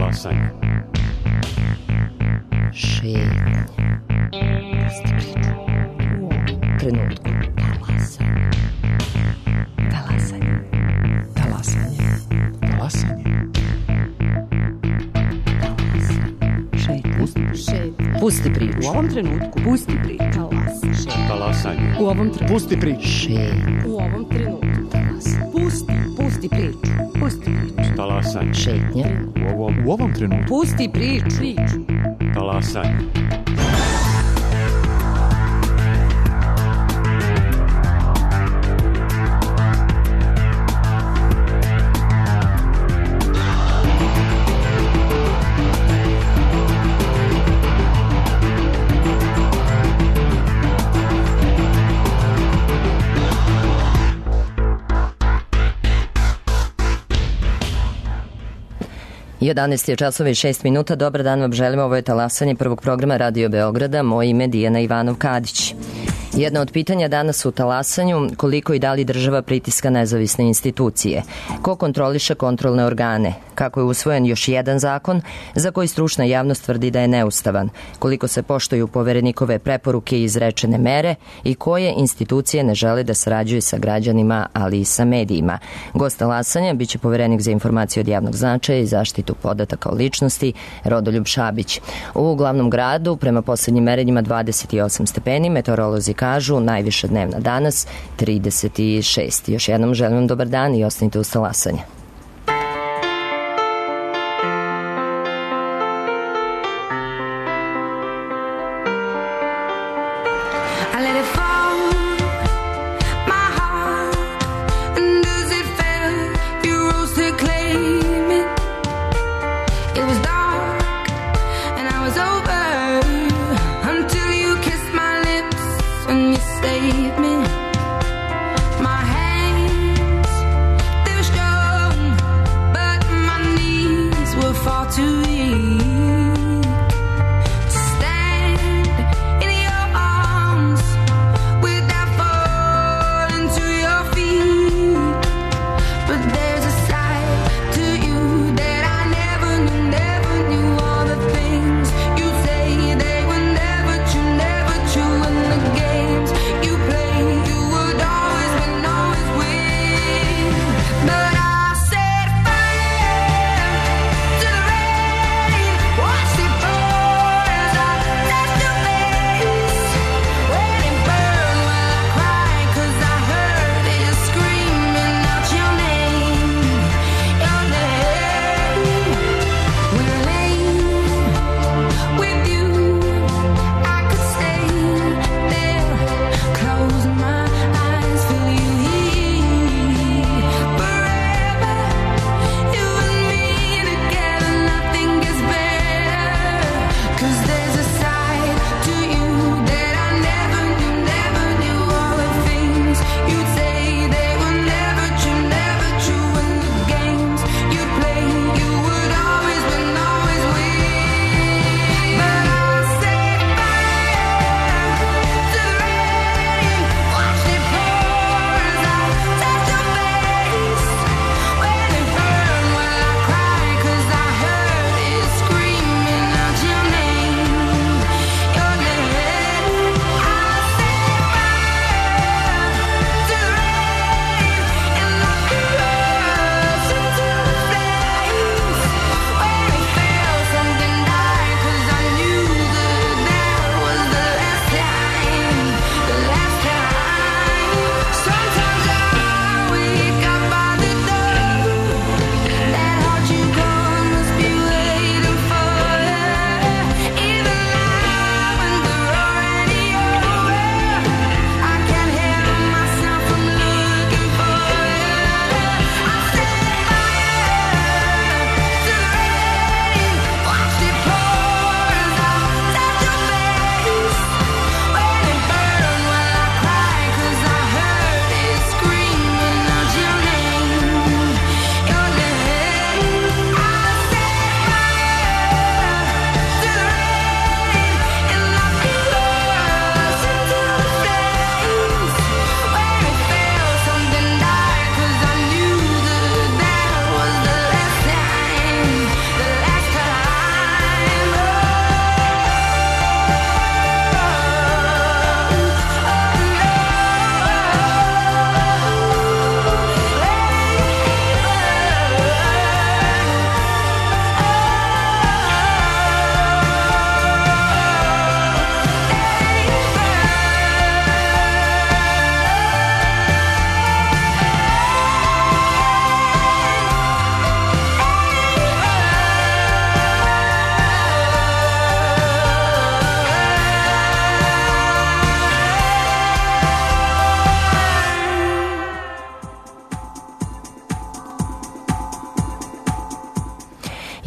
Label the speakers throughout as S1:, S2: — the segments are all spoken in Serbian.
S1: Talasanje.
S2: Šetnje. Trenutku. Talasanje. Talasanje.
S3: Talasanje.
S2: Pusti priču.
S4: U ovom trenutku. Pusti priču.
S1: Talasanje.
S4: U ovom trenutku.
S3: Pusti priču.
S4: U ovom trenutku. Pusti priču. Pusti priču.
S1: Talasanje.
S2: Šetnje.
S3: U ovom trenutku.
S4: Pusti priču.
S1: Talasanje.
S2: Jedanaest je časova i 6 minuta. Dobar dan vam želim. Ovo je Talasanje prvog programa Radio Beograda. Moje ime je Dijana Ivanov-Kadić. Jedno od pitanja danas u Talasanju, koliko i da li država pritiska nezavisne institucije? Ko kontroliše kontrolne organe? Kako je usvojen još jedan zakon za koji stručna javnost tvrdi da je neustavan? Koliko se poštuju poverenikove preporuke i izrečene mere i koje institucije ne žele da sarađuju sa građanima, ali i sa medijima? Gost Talasanja biće poverenik za informacije od javnog značaja i zaštitu podataka o ličnosti Rodoljub Šabić. U glavnom gradu prema poslednjim merenjima 28 stepeni, meteorolozi kažu najviša dnevna danas 36. Još jednom želim vam dobar dan i ostanite uz Talasanje.
S5: Save me. My hands, they were strong.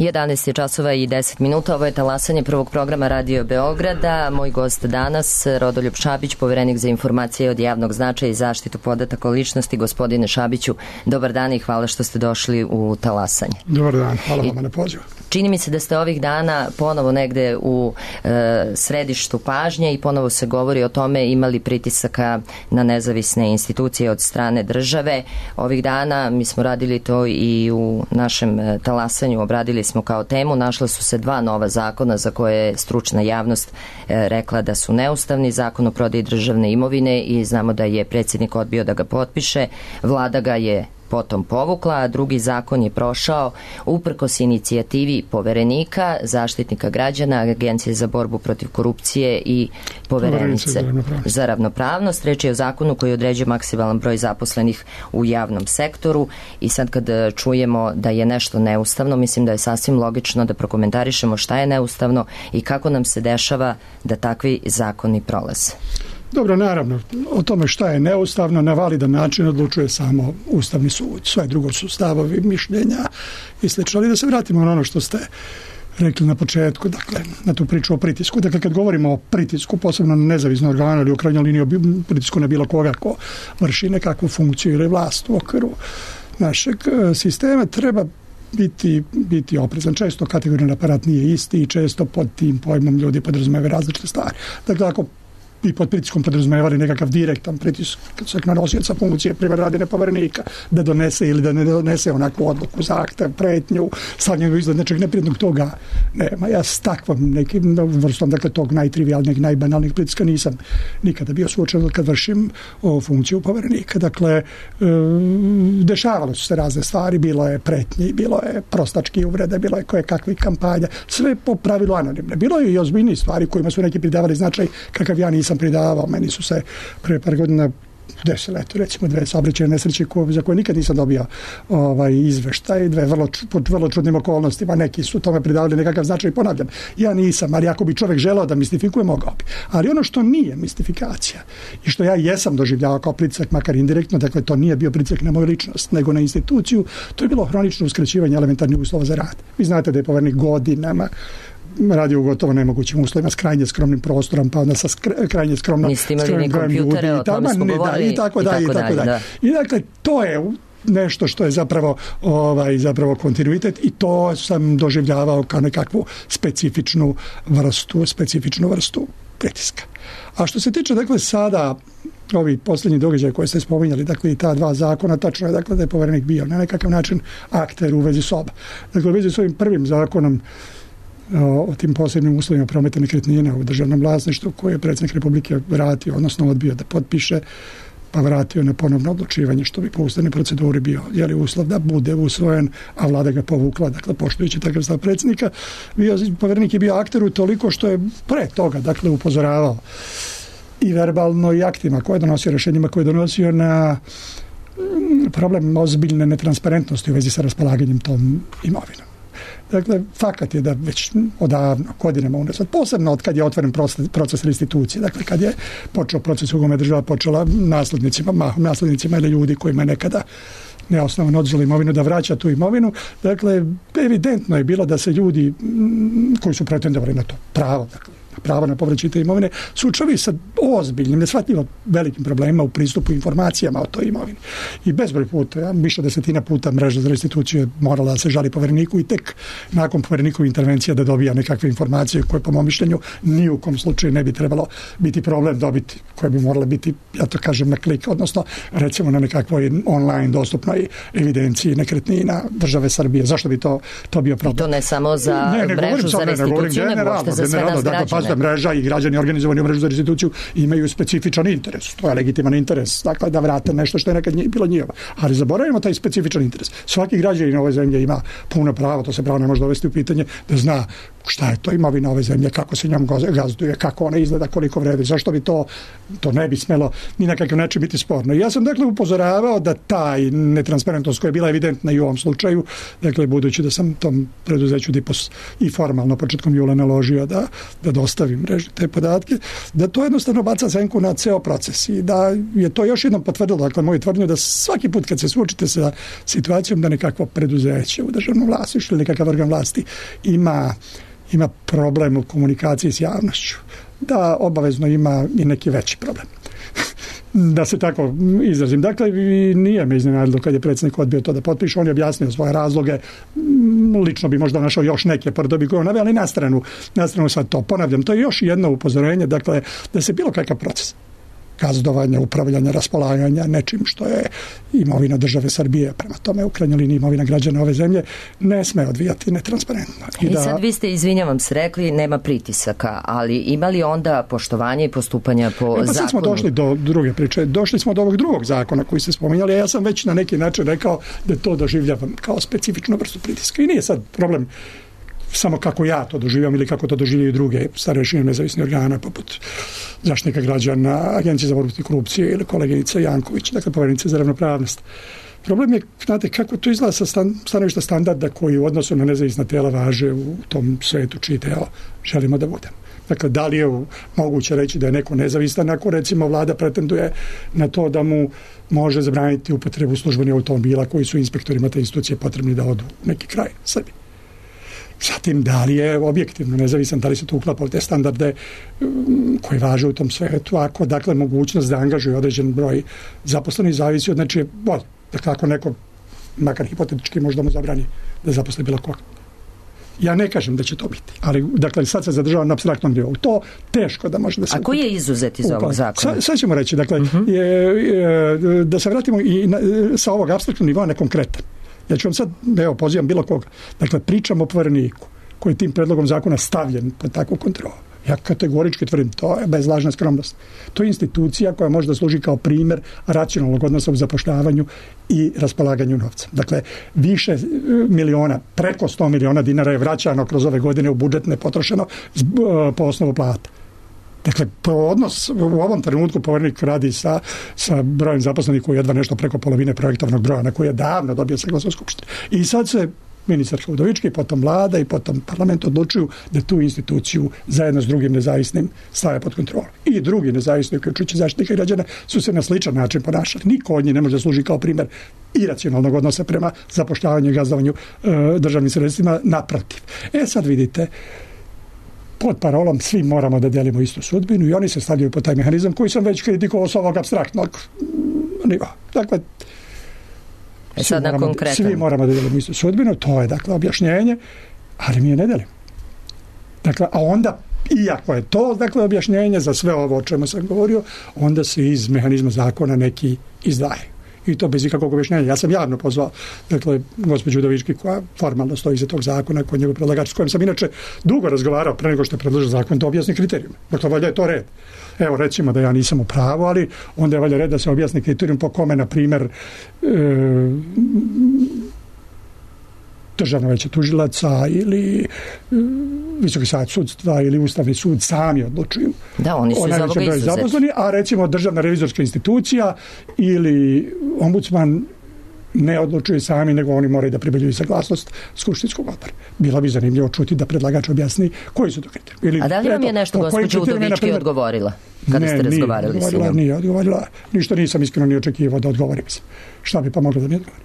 S2: 11 je časova i 10 minuta. Ovo je talasanje prvog programa Radio Beograda. Moj gost danas, Rodoljub Šabić, poverenik za informacije od javnog značaja i zaštitu podataka o ličnosti. Gospodine Šabiću, dobar dan i hvala što ste došli u talasanje.
S5: Dobar dan, hvala vam na pozivu.
S2: Čini mi se da ste ovih dana ponovo negde u središtu pažnje i ponovo se govori o tome imali pritisaka na nezavisne institucije od strane države. Ovih dana mi smo radili to i u našem talasanju, obradili smo kao temu, našla su se 2 nova zakona za koje je stručna javnost rekla da su neustavni, zakon o prodaji državne imovine i znamo da je predsjednik odbio da ga potpiše, vlada ga je potom povukla, a drugi zakon je prošao uprkos inicijativi Poverenika, Zaštitnika građana, Agencije za borbu protiv korupcije i Poverenice za ravnopravnost. Reč je o zakonu koji određuje maksimalan broj zaposlenih u javnom sektoru i sad kad čujemo da je nešto neustavno, mislim da je sasvim logično da prokomentarišemo šta je neustavno i kako nam se dešava da takvi zakoni prolaze.
S5: Dobro, naravno, o tome šta je neustavno na validan način odlučuje samo Ustavni sud. Sve drugo su stavovi, mišljenja i slično. Ali da se vratimo na ono što ste rekli na početku, dakle, na tu priču o pritisku. Dakle, kad govorimo o pritisku, posebno na nezavisno organe ili u krajnjoj liniji o pritisku na bilo koga ko vrši nekakvu funkciju ili vlast u okviru našeg sistema, treba biti oprezan. Često kategorijan aparat nije isti i često pod tim pojmom ljudi podrazumevaju različite stvari. Dakle, ako i pod pritiskom podrazumevali nekakav direktan pritisak na nosioca funkcije privredne Poverenika da donese ili da ne donese onakvu odluku, zahtev, pretnju, stavljanje izgled nečeg neprijatnog, toga nema. Ja s takvom nekim vrstom, dakle, tog najtrivijalnijeg, najbanalnijeg pritiska nisam nikada bio suočen kad vršim funkciju Poverenika. Dakle, dešavalo su se razne stvari, bilo je pretnji, bilo je prostački uvrede, bilo je kakvih kampanja, sve po pravilu anonimne. Bilo je i ozbiljnije stvari kojima su neki pridavali značaj kakav ja nisam pridavao. Meni su se pre par godina desile, recimo 2 saobraćajne nesreće za koje nikad nisam dobio izveštaj, pod vrlo čudnim okolnostima. Neki su tome pridavali nekakav značaj, ponavljam. Ja nisam, ali ako bi čovjek želeo da mistifikuje, mogao bi. Ali ono što nije mistifikacija i što ja jesam doživljavao kao pritisak, makar indirektno, dakle to nije bio pritisak na moju ličnost, nego na instituciju, to je bilo hronično uskraćivanje elementarnih uslova za rad. Vi znate da je Poverenik godinama radio u gotovo nemogućim uslovima s krajnje skromnim prostorom, pa onda sa krajnje skromnim brojem ljudi i tako dalje. I dakle, to je nešto što je zapravo kontinuitet i to sam doživljavao kao nekakvu specifičnu vrstu pritiska. A što se tiče, dakle, sada ovi posljednji događaji koje ste spominjali, dakle i ta 2 zakona, tačno je, dakle, da je Poverenik bio na nekakav način akter u vezi s oba. Dakle, u vezi s ovim prvim zakonom o tim posebnim uslovima prometa nekretnina u državnom vlasništvu koje je predsjednik Republike vratio, odnosno odbio da potpiše, pa vratio na ponovno odlučivanje, što bi po ustavnoj proceduri bio uslov da bude usvojen, a vlada ga povukla, dakle poštujući takav stav predsjednika. Poverenik je bio akter toliko što je pre toga, dakle, upozoravao i verbalno i aktima koje je donosio, rješenjima koje je donosio na problem ozbiljne netransparentnosti u vezi sa raspolaganjem tom imovinom. Dakle, fakat je da već odavno, godinama unazad, posebno od kad je otvoren proces restitucije, dakle kad je počeo proces u kome država počela naslednicima ili ljudi kojima je nekada neosnovano oduzeli imovinu, da vraća tu imovinu. Dakle, evidentno je bilo da se ljudi koji su pretendovali na to pravo, dakle, pravo na povraćaj te imovine, suočavaju sa ozbiljnim, neshvatljivo velikim problemima u pristupu informacijama o toj imovini. I bezbroj puta, više desetina puta mreža za restituciju morala da se žali Povereniku i tek nakon Poverenikove intervencije da dobija nekakve informacije koje, po mom mišljenju, ni u kom slučaju ne bi trebalo biti problem dobiti, koje bi morale biti, ja to kažem, na klik, odnosno recimo na nekakvoj online dostupnoj evidenciji nekretnina države Srbije. Zašto bi to bio problem?
S2: I to ne samo za mrežu za restituciju, nego uopšte za sve nas građane.
S5: Mreža i građani organizovani u mrežu za restituciju imaju specifičan interes. To je legitiman interes, dakle, da vrate nešto što je nekad bilo njihovo. Ali zaboravimo taj specifičan interes. Svaki građanin ove zemlje ima puno pravo, to se pravo ne može dovesti u pitanje, da zna šta je to imovina ove zemlje, kako se njom gazduje, kako ona izgleda, koliko vredi, zašto bi to ne bi smelo ni na kakav način biti sporno. I ja sam, dakle, upozoravao da taj netransparentnost koja je bila evidentna i u ovom slučaju, dakle, budući da sam tom preduzeću DIPOS i formalno početkom jula naložio da dostavi dostavi mreži te podatke, da to jednostavno baca senku na ceo proces i da je to još jednom potvrdilo, dakle, moju tvrdnju da svaki put kad se suočite sa situacijom da nekakvo preduzeće u državnom vlasništvu ili nekakav organ vlasti ima problem u komunikaciji s javnošću, da obavezno ima i neki veći problem. Da se tako izrazim. Dakle, nije me iznenadilo kad je predsjednik odbio to da potpiše. On je objasnio svoje razloge. Lično bi možda našao još neke pordobi koje on naveo, ali na stranu sad to. Ponavljam, to je još jedno upozorenje, dakle, da se bilo kakav proces gazdovanja, upravljanja, raspolaganja nečim što je imovina države Srbije, prema tome u krajnjoj liniji imovina građana ove zemlje, ne sme odvijati netransparentno.
S2: I sad vi ste, izvinjavam se, rekli nema pritisaka, ali ima li onda poštovanje i postupanja po zakonu?
S5: Sad smo došli do druge priče. Došli smo do ovog drugog zakona koji ste spominjali, a ja sam već na neki način rekao da to doživljavam kao specifičnu vrstu pritiska. I nije sad problem samo kako ja to doživljam ili kako to doživljaju druge starešine nezavisnih organa poput Zaštitnika građana, Agencije za borbu protiv korupcije ili koleginica Janković, dakle Poverenica za ravnopravnost. Problem je, znate, kako to izgleda sa stanovišta standarda koji u odnosu na nezavisna tijela važe u tom svetu čiji deo želimo da budemo. Dakle, da li je moguće reći da je neko nezavistan ako recimo vlada pretenduje na to da mu može zabraniti upotrebu službenih automobila koji su inspektorima te institucije potrebni da odu u neki kraj Srbije. Zatim, da li je objektivno nezavisan, da li se to uklapa u te standarde koji važe u tom svetu, ako, dakle, mogućnost da angažuje određen broj zaposlenih zavisi od nečije volje. Dakle, ako neko, makar hipotetički, možda mu zabrani da zaposli bilo koga. Ja ne kažem da će to biti, ali, dakle, sad se zadržava na apstraktnom nivou. To teško da može da se...
S2: A koji je izuzet iz ovog zakona?
S5: Sad ćemo reći, dakle, da se vratimo i sa ovog apstraktnog nivoa na konkretan. Ja ću vam sad, evo, pozivam bilo koga. Dakle, pričam o Povereniku koji je tim predlogom zakona stavljen pod takvu kontrolu. Ja kategorički tvrdim, to je bez lažne skromnosti. To je institucija koja može da služi kao primjer racionalnog odnosa u zapošljavanju i raspolaganju novca. Dakle, više miliona, preko 100 miliona dinara je vraćano kroz ove godine u budžet nepotrošeno po osnovu plata. Dakle, odnos u ovom trenutku Poverenik radi sa brojem zaposlenih koji je jedva nešto preko polovine projektovnog broja na koji je davno dobio saglasnost Skupštine. I sad se ministarka Udovički, potom vlada i potom parlament odlučuju da tu instituciju zajedno s drugim nezavisnim stave pod kontrolu. I drugi nezavisni, uključujući Zaštitnika građana, su se na sličan način ponašali. Niko od njih ne može da služi kao primjer iracionalnog odnosa prema zapošljavanju i gazdovanju državnim sredstvima, naprotiv. Sad vidite, pod parolom svi moramo da delimo istu sudbinu i oni se stavljaju pod taj mehanizam koji sam već kritikovao s ovog apstraktnog nivoa. Dakle, svi moramo da delimo istu sudbinu, to je, dakle, objašnjenje, ali mi je ne delimo. Dakle, a onda, iako je to, dakle, objašnjenje za sve ovo o čemu sam govorio, onda se iz mehanizma zakona neki izdvajaju. I to bez ikakvog objašnjenja. Ja sam javno pozvao, dakle, gospođu Udovički, koja formalno stoji iza tog zakona, koji je njegov predlagač, s kojim sam inače dugo razgovarao pre nego što je predložio zakon, da objasni kriterijume. Dakle, valjda je to red. Evo, recimo da ja nisam u pravu, ali onda je valjda red da se objasni kriterijum po kome, na primjer, Državno veće tužilaca ili Visoki savet sudstva ili Ustavni sud sami odlučuju.
S2: Da, oni su iz ovoga izuzeti.
S5: A recimo Državna revizorska institucija ili ombudsman ne odlučuju sami, nego oni moraju da pribavljaju saglasnost skupštinskog odbora. Bilo bi zanimljivo čuti da predlagač objasni koji su to kriteriji.
S2: A da li vam je nešto gospođa Udovički odgovorila kada ste razgovarali s njom?
S5: Nije odgovorila. Ništa nisam iskreno ni očekivao da odgovori. Šta bi pa moglo da mi odgovori?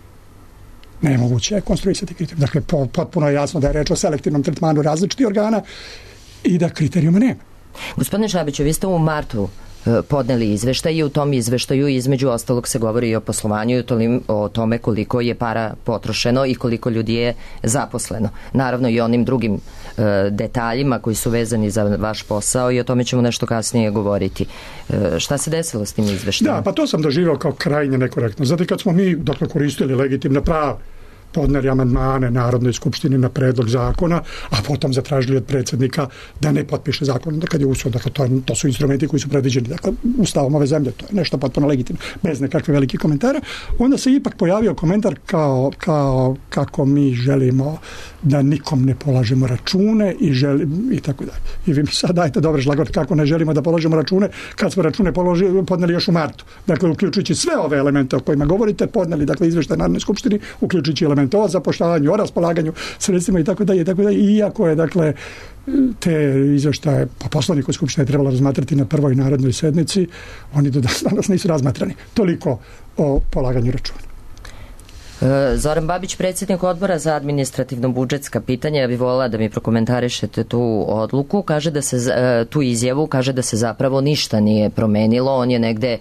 S5: Nemoguće je konstruisati kriterije. Dakle, potpuno je jasno da je reč o selektivnom tretmanu različitih organa i da kriterijuma nema.
S2: Gospodine Šabiću, vi ste u martu podneli izveštaj i u tom izveštaju između ostalog se govori i o poslovanju i o tome koliko je para potrošeno i koliko ljudi je zaposleno. Naravno i onim drugim detaljima koji su vezani za vaš posao i o tome ćemo nešto kasnije govoriti. Šta se desilo s tim izveštajem?
S5: Da, pa to sam doživao kao krajnje nekorektno. Zato kad smo mi, dakle, koristili legitimna prava, podneli amandmane Narodnoj skupštini na predlog zakona, a potom zatražili od predsjednika da ne potpiše zakon kad je usvojen. Dakle, to su instrumenti koji su predviđeni, dakle, ustavom ove zemlje, to je nešto potpuno legitimno, bez nekakve velike komentara. Onda se ipak pojavio komentar kao kako mi želimo da nikom ne polažemo račune i tako dalje. I vi mi sad dajte dobre šlagvort kako ne želimo da polažemo račune kad smo račune podneli još u martu. Dakle, uključujući sve ove elemente o kojima govorite, podneli, dakle, izveštaj Narodnoj skupštini, uključujući elemente parlamenta o zapošljavanju, o raspolaganju sredstvima i tako dalje, iako je dakle te izveštaje po Poslovniku Skupštine trebalo razmatrati na prvoj narodnoj sednici, oni do danas nisu razmatrani. Toliko o polaganju računa.
S2: Zoran Babić, predsjednik odbora za administrativno-budžetska pitanja, ja bih volila da mi prokomentarišete tu odluku, tu izjavu, kaže da se zapravo ništa nije promenilo, on je negde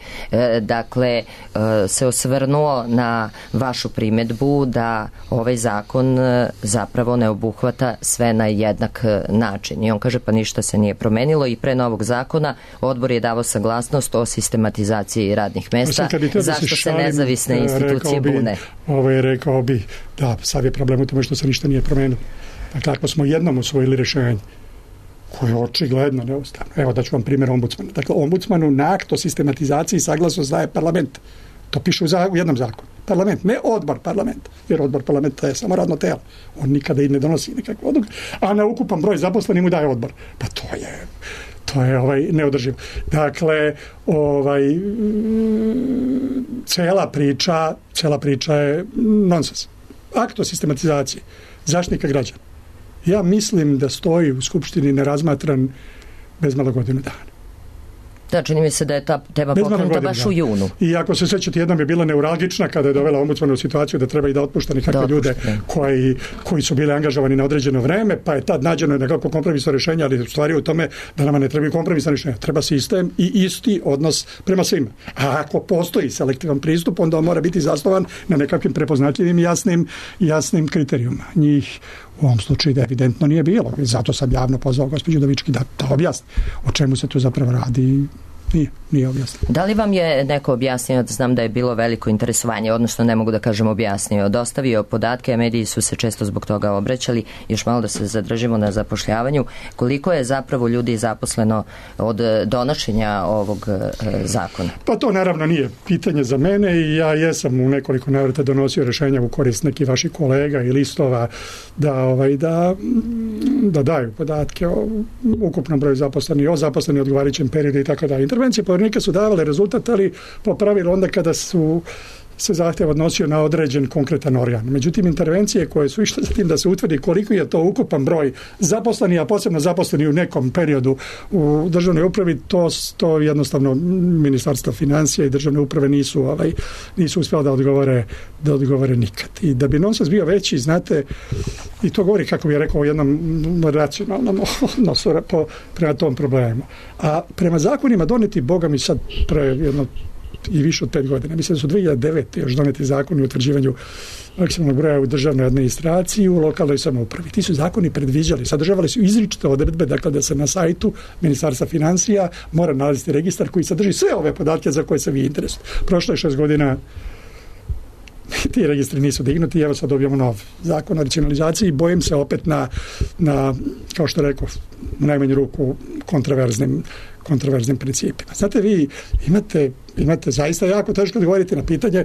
S2: se osvrnuo na vašu primedbu da ovaj zakon zapravo ne obuhvata sve na jednak način i on kaže pa ništa se nije promenilo i pre novog zakona odbor je dao saglasnost o sistematizaciji radnih mesta, zašto se nezavisne institucije bune?
S5: Rekao bi da sad je problem u tome što se ništa nije promenilo. Dakle, ako smo jednom usvojili rješenje koje je očigledno neustavno. Evo da ću vam primjer ombudsmana. Dakle, ombudsmanu na akt o sistematizaciji saglasnost daje parlament. To piše u jednom zakonu. Parlament, ne odbor parlamenta. Jer odbor parlamenta je samo radno telo. On nikada i ne donosi nikakvu odluku. A na ukupan broj zaposlenih mu daje odbor. Pa to je neodrživo. Dakle, cela priča je nonsens. Akt o sistematizaciji Zaštitnika građana. Ja mislim da stoji u Skupštini nerazmatran bez malo godinu dana.
S2: Da, čini mi se da je ta tema pokrenuta baš u junu.
S5: I ako se sjećate, jednom je bila neuralgična kada je dovela ombudsmana u situaciju da treba i da otpušta nekakve ljude koji su bili angažovani na određeno vreme, pa je tad nađeno nekako kompromisno rješenje, ali u stvari u tome da nama ne trebaju kompromisno rješenje. Treba sistem i isti odnos prema svima. A ako postoji selektivan pristup, onda on mora biti zasnovan na nekakvim prepoznatljivim jasnim kriterijuma. Njih u ovom slučaju da evidentno nije bilo. Zato sam javno pozvao gospođu Udovički da objasni o čemu se tu zapravo radi. Nije objasnio.
S2: Da li vam je neko objasnio, znam da je bilo veliko interesovanje, odnosno ne mogu da kažem objasnio, dostavio podatke, a mediji su se često zbog toga obraćali, još malo da se zadržimo na zapošljavanju, koliko je zapravo ljudi zaposleno od donošenja ovog zakona? Pa
S5: to naravno nije pitanje za mene i ja jesam u nekoliko navrata donosio rješenja u korist nekih vaših kolega i listova da daju podatke o ukupnom broju zaposlenih, o zaposlenih odgovarajućem periodu i tako dalje. Intervencije povjerenika su davale rezultat, ali po pravilu onda kada se zahtjev odnosio na određen konkretan organ. Međutim, intervencije koje su išle za tim da se utvrdi koliko je to ukupan broj zaposlenih, a posebno zaposleni u nekom periodu u državnoj upravi, to jednostavno Ministarstvo financija i državne uprave nisu uspjeli da odgovore nikad. I da bi nonsens bio veći, znate, i to govori, kako bih rekao, o jednom racionalnom odnosu prema tom problemu. A prema zakonima doneti, Boga mi sad jedno i više od 5 godina. Mislim da su 2009. još doneti zakoni o utvrđivanju maksimalnog broja u državnoj administraciji i u lokalnoj samoupravi. Ti su zakoni predviđali, sadržavali su izričite odredbe, dakle da se na sajtu Ministarstva financija mora nalaziti registar koji sadrži sve ove podatke za koje se vi interesujete. Prošlo je 6 godina, ti registri nisu dignuti, evo sad dobijamo nov zakon o racionalizaciji i bojim se opet na kao što rekao, u najmanju ruku kontroverznim principima. Znate, vi imate zaista jako teško odgovoriti na pitanje,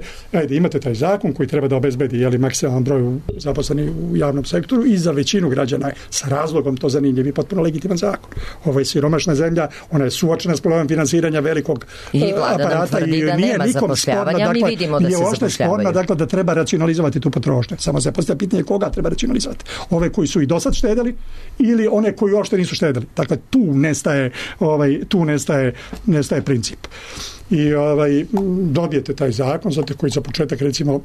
S5: imate taj zakon koji treba da obezbedi maksimalan broj zaposlenih u javnom sektoru i za većinu građana je sa razlogom to zanimljiv i potpuno legitiman zakon. Ovo je siromašna zemlja, ona je suočena s problemom finansiranja velikog aparata i nije nikom sporna,
S2: mi vidimo da se zapošljavaju.
S5: Dakle, da treba racionalizovati tu potrošnju. Samo se postavlja pitanje koga treba racionalizovati. Ove koji su i do sad štedeli ili one koji uopšte nisu štedeli. Dakle, tu nestaje princip. I dobijete taj zakon, zato koji za početak recimo,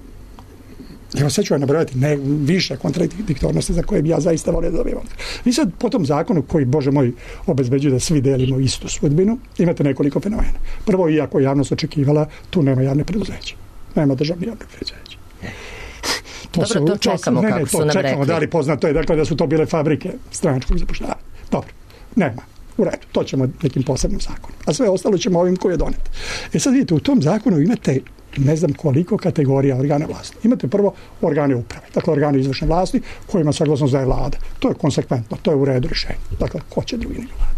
S5: evo sad ću vam nabrojati više kontradiktornosti za koje bi ja zaista volio da dobijem. Vi sad po tom zakonu koji, Bože moj, obezbeđuje da svi delimo istu sudbinu, imate nekoliko fenomena. Prvo, iako javnost očekivala, tu nema javne preduzeća. Nema državne javne preduzeća.
S2: To čekamo kako su nam rekli.
S5: Da li poznato je dakle, da su to bile fabrike stranačkog zapošljavanja. Dobro, nema. U redu, to ćemo nekim posebnim zakonom. A sve ostalo ćemo ovim koji je donet. Sad vidite, u tom zakonu imate ne znam koliko kategorija organa vlasti. Imate prvo organe uprave, dakle organe izvršne vlasti kojima saglasnost daje vlada. To je konsekventno, to je u redu rješenje. Dakle, ko će drugi nego vlada.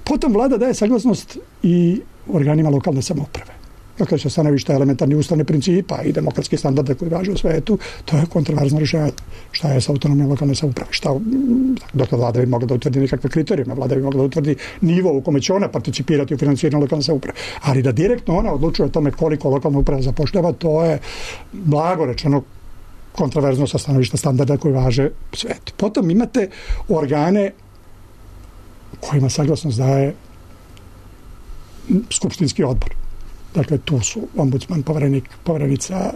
S5: Potom vlada daje saglasnost i organima lokalne samouprave. Dakle, sa stanovišta elementarnih ustavnih principa i demokratskih standarda koji važe u svetu, to je kontroverzno rješenje. Šta je sa autonomijom lokalne samouprave? Dakle, vlada bi mogla da utvrdi nekakve kriterijume, vlada bi mogla da utvrdi nivo u kome će ona participirati u financiranju lokalne samouprave. Ali da direktno ona odlučuje o tome koliko lokalna uprava zapošljava, to je blago rečeno kontroverzno sa stanovišta standarda koji važe u svetu. Potom imate organe kojima saglasnost daje skupštinski odbor. Dakle, tu su ombudsman, poverenica,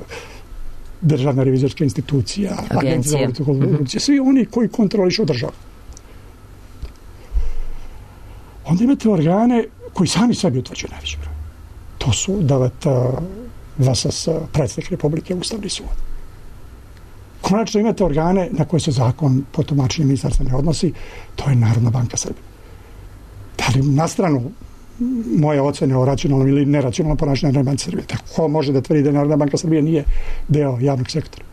S5: državna revizorska institucija, agencija za borbu protiv korupcije, svi oni koji kontrolišu državu. Onda imate organe koji sami sebi utvrđuju najveći broj. To su VSS, predsjednik Republike, Ustavni sud. Konačno imate organe na koje se zakon po tumačenju ministarstva ne odnosi, to je Narodna banka Srbije. Da li na stranu moje ocene o racionalnom ili neracionalnom ponašanju Narodne banke Srbije? Tako može da tvrdi da Narodna banka Srbije nije deo javnog sektora?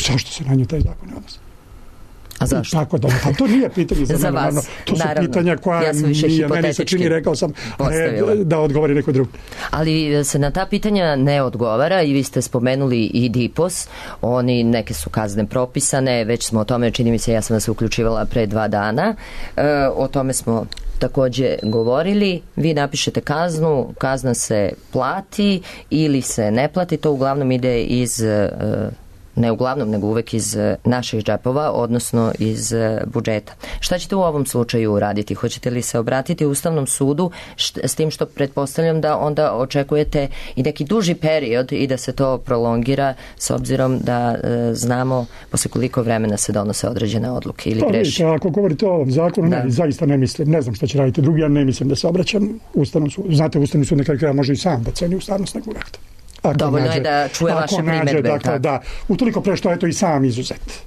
S5: Zašto se na nju taj zakon ne odnosi?
S2: A zašto?
S5: Tako da, pa to nije pitanje za mene.
S2: vas.
S5: To su
S2: Naravno.
S5: pitanja koja
S2: Ja
S5: meni se čini, rekao sam, da odgovori neko drugi.
S2: Ali se na ta pitanja ne odgovara i vi ste spomenuli i DIPOS, oni neke su kazne propisane, već smo o tome, čini mi se, ja sam vas uključivala pre 2 dana, o tome smo takođe govorili, vi napišete kaznu, kazna se plati ili se ne plati, to uglavnom ide iz ne uglavnom, nego uvek iz naših džepova, odnosno iz budžeta. Šta ćete u ovom slučaju uraditi? Hoćete li se obratiti Ustavnom sudu s tim što pretpostavljam da onda očekujete i neki duži period i da se to prolongira s obzirom da znamo posle koliko vremena se donose određene odluke ili greši?
S5: Ako govorite o ovom zakonu, zaista ne mislim, ne znam šta će raditi drugi, ja ne mislim da se obraćam Ustavnom sudu. Znate, Ustavni sud nekada kraja može i sam da ceni ustavnost nekog akta.
S2: Dovoljno je da čuje vaše primedbe.
S5: Dakle, da, utoliko pre što je to i sam izuzet.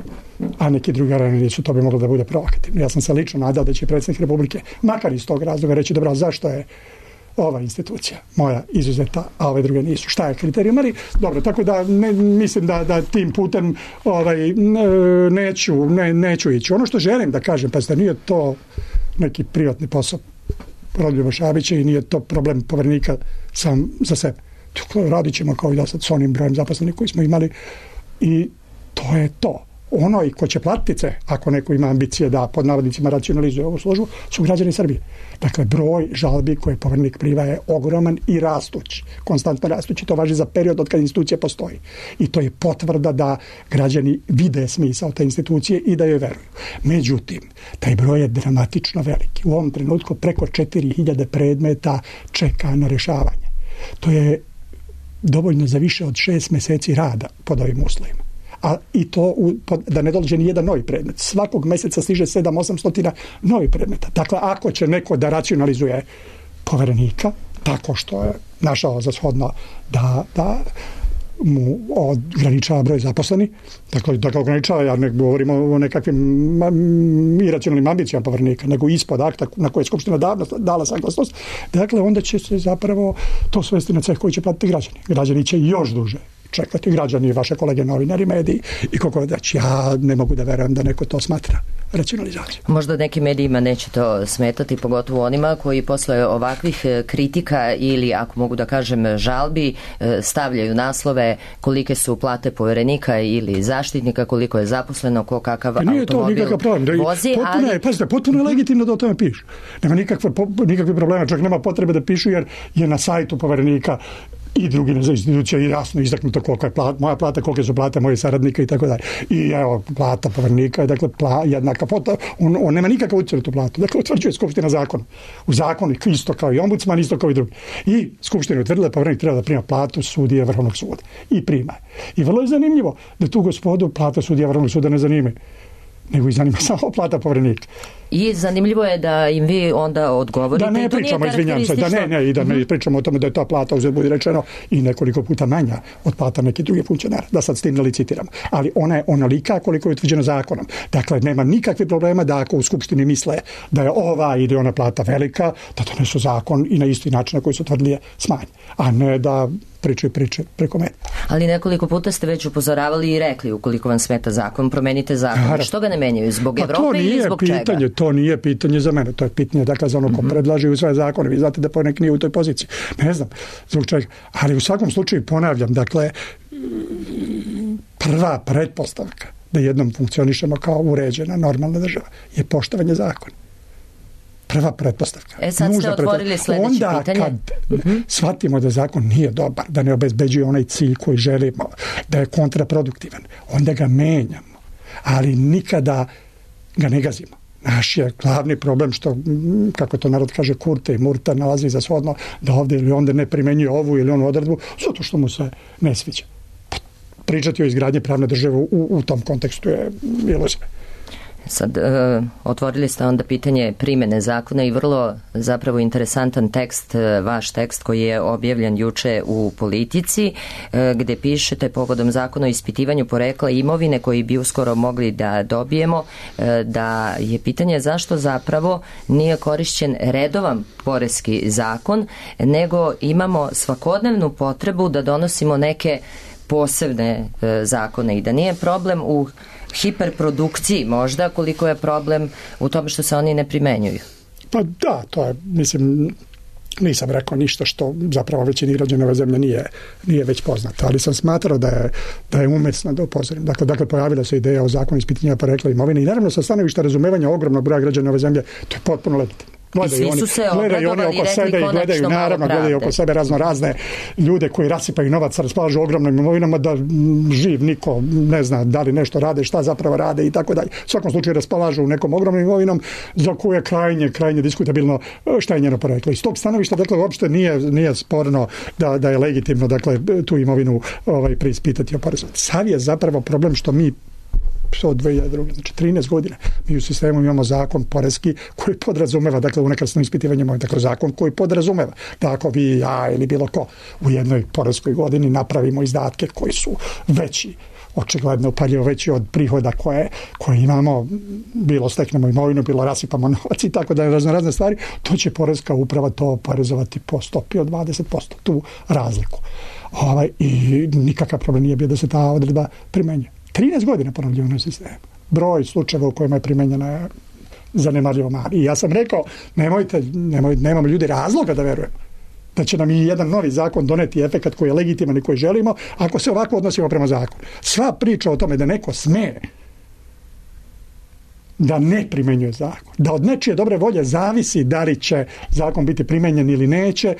S5: A neki drugi arene nisu, to bi moglo da bude provokativno. Ja sam se lično nadao da će predsjednik Republike, makar iz tog razloga, reći, dobro, zašto je ova institucija moja izuzeta, a ove druge nisu. Šta je kriterijum? Ali, dobro, tako da mislim da tim putem neću ići. Ono što želim da kažem, pa ste, nije to neki privatni posao Rodoljuba Šabića i nije to problem Poverenika sam za sebe. Radit ćemo kao i da sad s onim brojem zaposlenih koji smo imali i to je to. Ono i ko će platiti, ako neko ima ambicije da pod navodnicima racionalizuje ovu službu, su građani Srbije. Dakle, broj žalbi koje Poverenik prima je ogroman i rastući, konstantno rastući. To važi za period od kad institucija postoji. I to je potvrda da građani vide smisao te institucije i da joj veruju. Međutim, taj broj je dramatično veliki. U ovom trenutku preko 4000 predmeta čeka na rešavanje. To je dovoljno za više od 6 meseci rada pod ovim uslovima. A i to da ne dođe ni jedan novi predmet. Svakog meseca stiže 700-800 novi predmeta. Dakle, ako će neko da racionalizuje Poverenika, tako što je našao za shodno da mu ograničava broj zaposleni, dakle, da ga ograničava, ja ne govorimo o nekakvim iracionalnim ambicijama Poverenika, nego ispod akta na koje je Skupština dala saglasnost, dakle, onda će se zapravo to svesti na ceh koji će platiti građani. Građani će još duže čekati, građani, vaše kolege novinari, mediji i kako da će, ja ne mogu da verujem da neko to smatra racionalizacijom.
S2: Možda nekim medijima neće to smetati, pogotovo onima koji posle ovakvih kritika ili, ako mogu da kažem, žalbi, stavljaju naslove kolike su plate Poverenika ili zaštitnika, koliko je zaposleno, ko kakav automobil vozi.
S5: Potpuno je legitimno da o tome pišu. Nema nikakve problema, čak nema potrebe da pišu jer je na sajtu Poverenika i drugi institucija i jasno izdaknuto koliko je moja plata, kolike su plate mojih saradnika i tako dalje. I evo, plata Poverenika je dakle jednaka plata, on nema nikakav utjecaj na tu platu. Dakle, utvrđuje Skupština zakon. U zakonu isto kao i ombudsman, isto kao i drugi. I Skupština je utvrdila da Poverenik treba da prima platu sudije Vrhovnog suda. I prima. I vrlo je zanimljivo da tu gospodu plata sudija Vrhovnog suda ne zanima, nego i zanima samo plata Poverenika.
S2: I zanimljivo je da im vi onda odgovorite.
S5: Da ne pričamo, izvinjam se, da ne pričamo o tome da je ta plata, uzet budi rečeno, i nekoliko puta manja od plata neke druge funkcionara, da sad s tim ne licitiram. Ali ona je onolika koliko je utvrđena zakonom. Dakle, nema nikakve problema da ako u Skupštini misle da je ova ili ona plata velika, da donesu zakon i na isti način na koji su tvrdili je smanji. A ne da priče preko mene.
S2: Ali nekoliko puta ste već upozoravali i rekli, ukoliko vam smeta zakon, promenite zakon. Što ga ne menjaju? Zbog Evrope ili zbog čega?
S5: To nije pitanje za mene, to je pitanje dakle za ono ko predlaže u svoje zakone. Vi znate da Poverenik nije u toj poziciji. Ne znam zbog čega. Ali u svakom slučaju ponavljam, dakle, prva pretpostavka da jednom funkcionišemo kao uređena, normalna država je poštovanje zakona. prva pretpostavka.
S2: Sad ste otvorili sledeće pitanje.
S5: Onda kad shvatimo da zakon nije dobar, da ne obezbeđuje onaj cilj koji želimo, da je kontraproduktivan, onda ga menjamo, ali nikada ga ne gazimo. Naš je glavni problem što, kako to narod kaže, kurte i murta nalazi za shodno da ovdje ili onda ne primenjuje ovu ili onu odredbu, zato što mu se ne sviđa. Pričati o izgradnji pravne države u tom kontekstu je iluzija.
S2: Sad, otvorili ste onda pitanje primene zakona i vrlo zapravo interesantan tekst, vaš tekst koji je objavljen juče u Politici, gde pišete povodom zakona o ispitivanju porekla imovine koji bi uskoro mogli da dobijemo, da je pitanje zašto zapravo nije korišćen redovan poreski zakon, nego imamo svakodnevnu potrebu da donosimo neke posebne zakone i da nije problem u hiperprodukciji možda, koliko je problem u tome što se oni ne primenjuju.
S5: Pa da, to je, mislim, nisam rekao ništa što zapravo većini građana ove zemlje nije već poznato, ali sam smatrao da je umesno da upozorim. Dakle, pojavila se ideja o zakonu ispitivanja porekla imovine i naravno sa stanovišta razumevanja ogromnog broja građana ove zemlje, to je potpuno legitimno. Gledaju oni oko sebe i gledaju oko sebe razne ljude koji rasipaju novac, raspolažu ogromnim imovinama, da živ niko ne zna da li nešto rade, šta zapravo rade i tako dalje. U svakom slučaju raspolažu nekom ogromnom imovinom za koju je krajnje diskutabilno šta je njeno poreklo. Iz tog stanovišta, dakle, uopšte nije sporno da je legitimno, dakle, tu imovinu preispitati o porezu. Sav je zapravo problem što mi od 2002. Znači 13 godina mi u sistemu imamo zakon poreski koji podrazumeva, dakle, unakrsno ispitivanje imovine, dakle, zakon koji podrazumeva da ako vi, ja ili bilo ko u jednoj poreskoj godini napravimo izdatke koji su veći, očigledno upaljivo veći od prihoda koje imamo, bilo steknemo imovinu, bilo rasipamo novac i tako da je razne stvari, to će poreska uprava to oporezovati po stopi od 20%, tu razliku. I nikakav problem nije bio da se ta odredba primenjuje. 13 godina ponavljivano sistemu. Broj slučajeva u kojima je primenjena je zanemarljivo mali. I ja sam rekao, nemamo ljudi razloga da verujemo da će nam i jedan novi zakon doneti efekat koji je legitiman i koji želimo, ako se ovako odnosimo prema zakonu. Sva priča o tome da neko sme da ne primenjuje zakon, da od nečije dobre volje zavisi da li će zakon biti primenjen ili neće,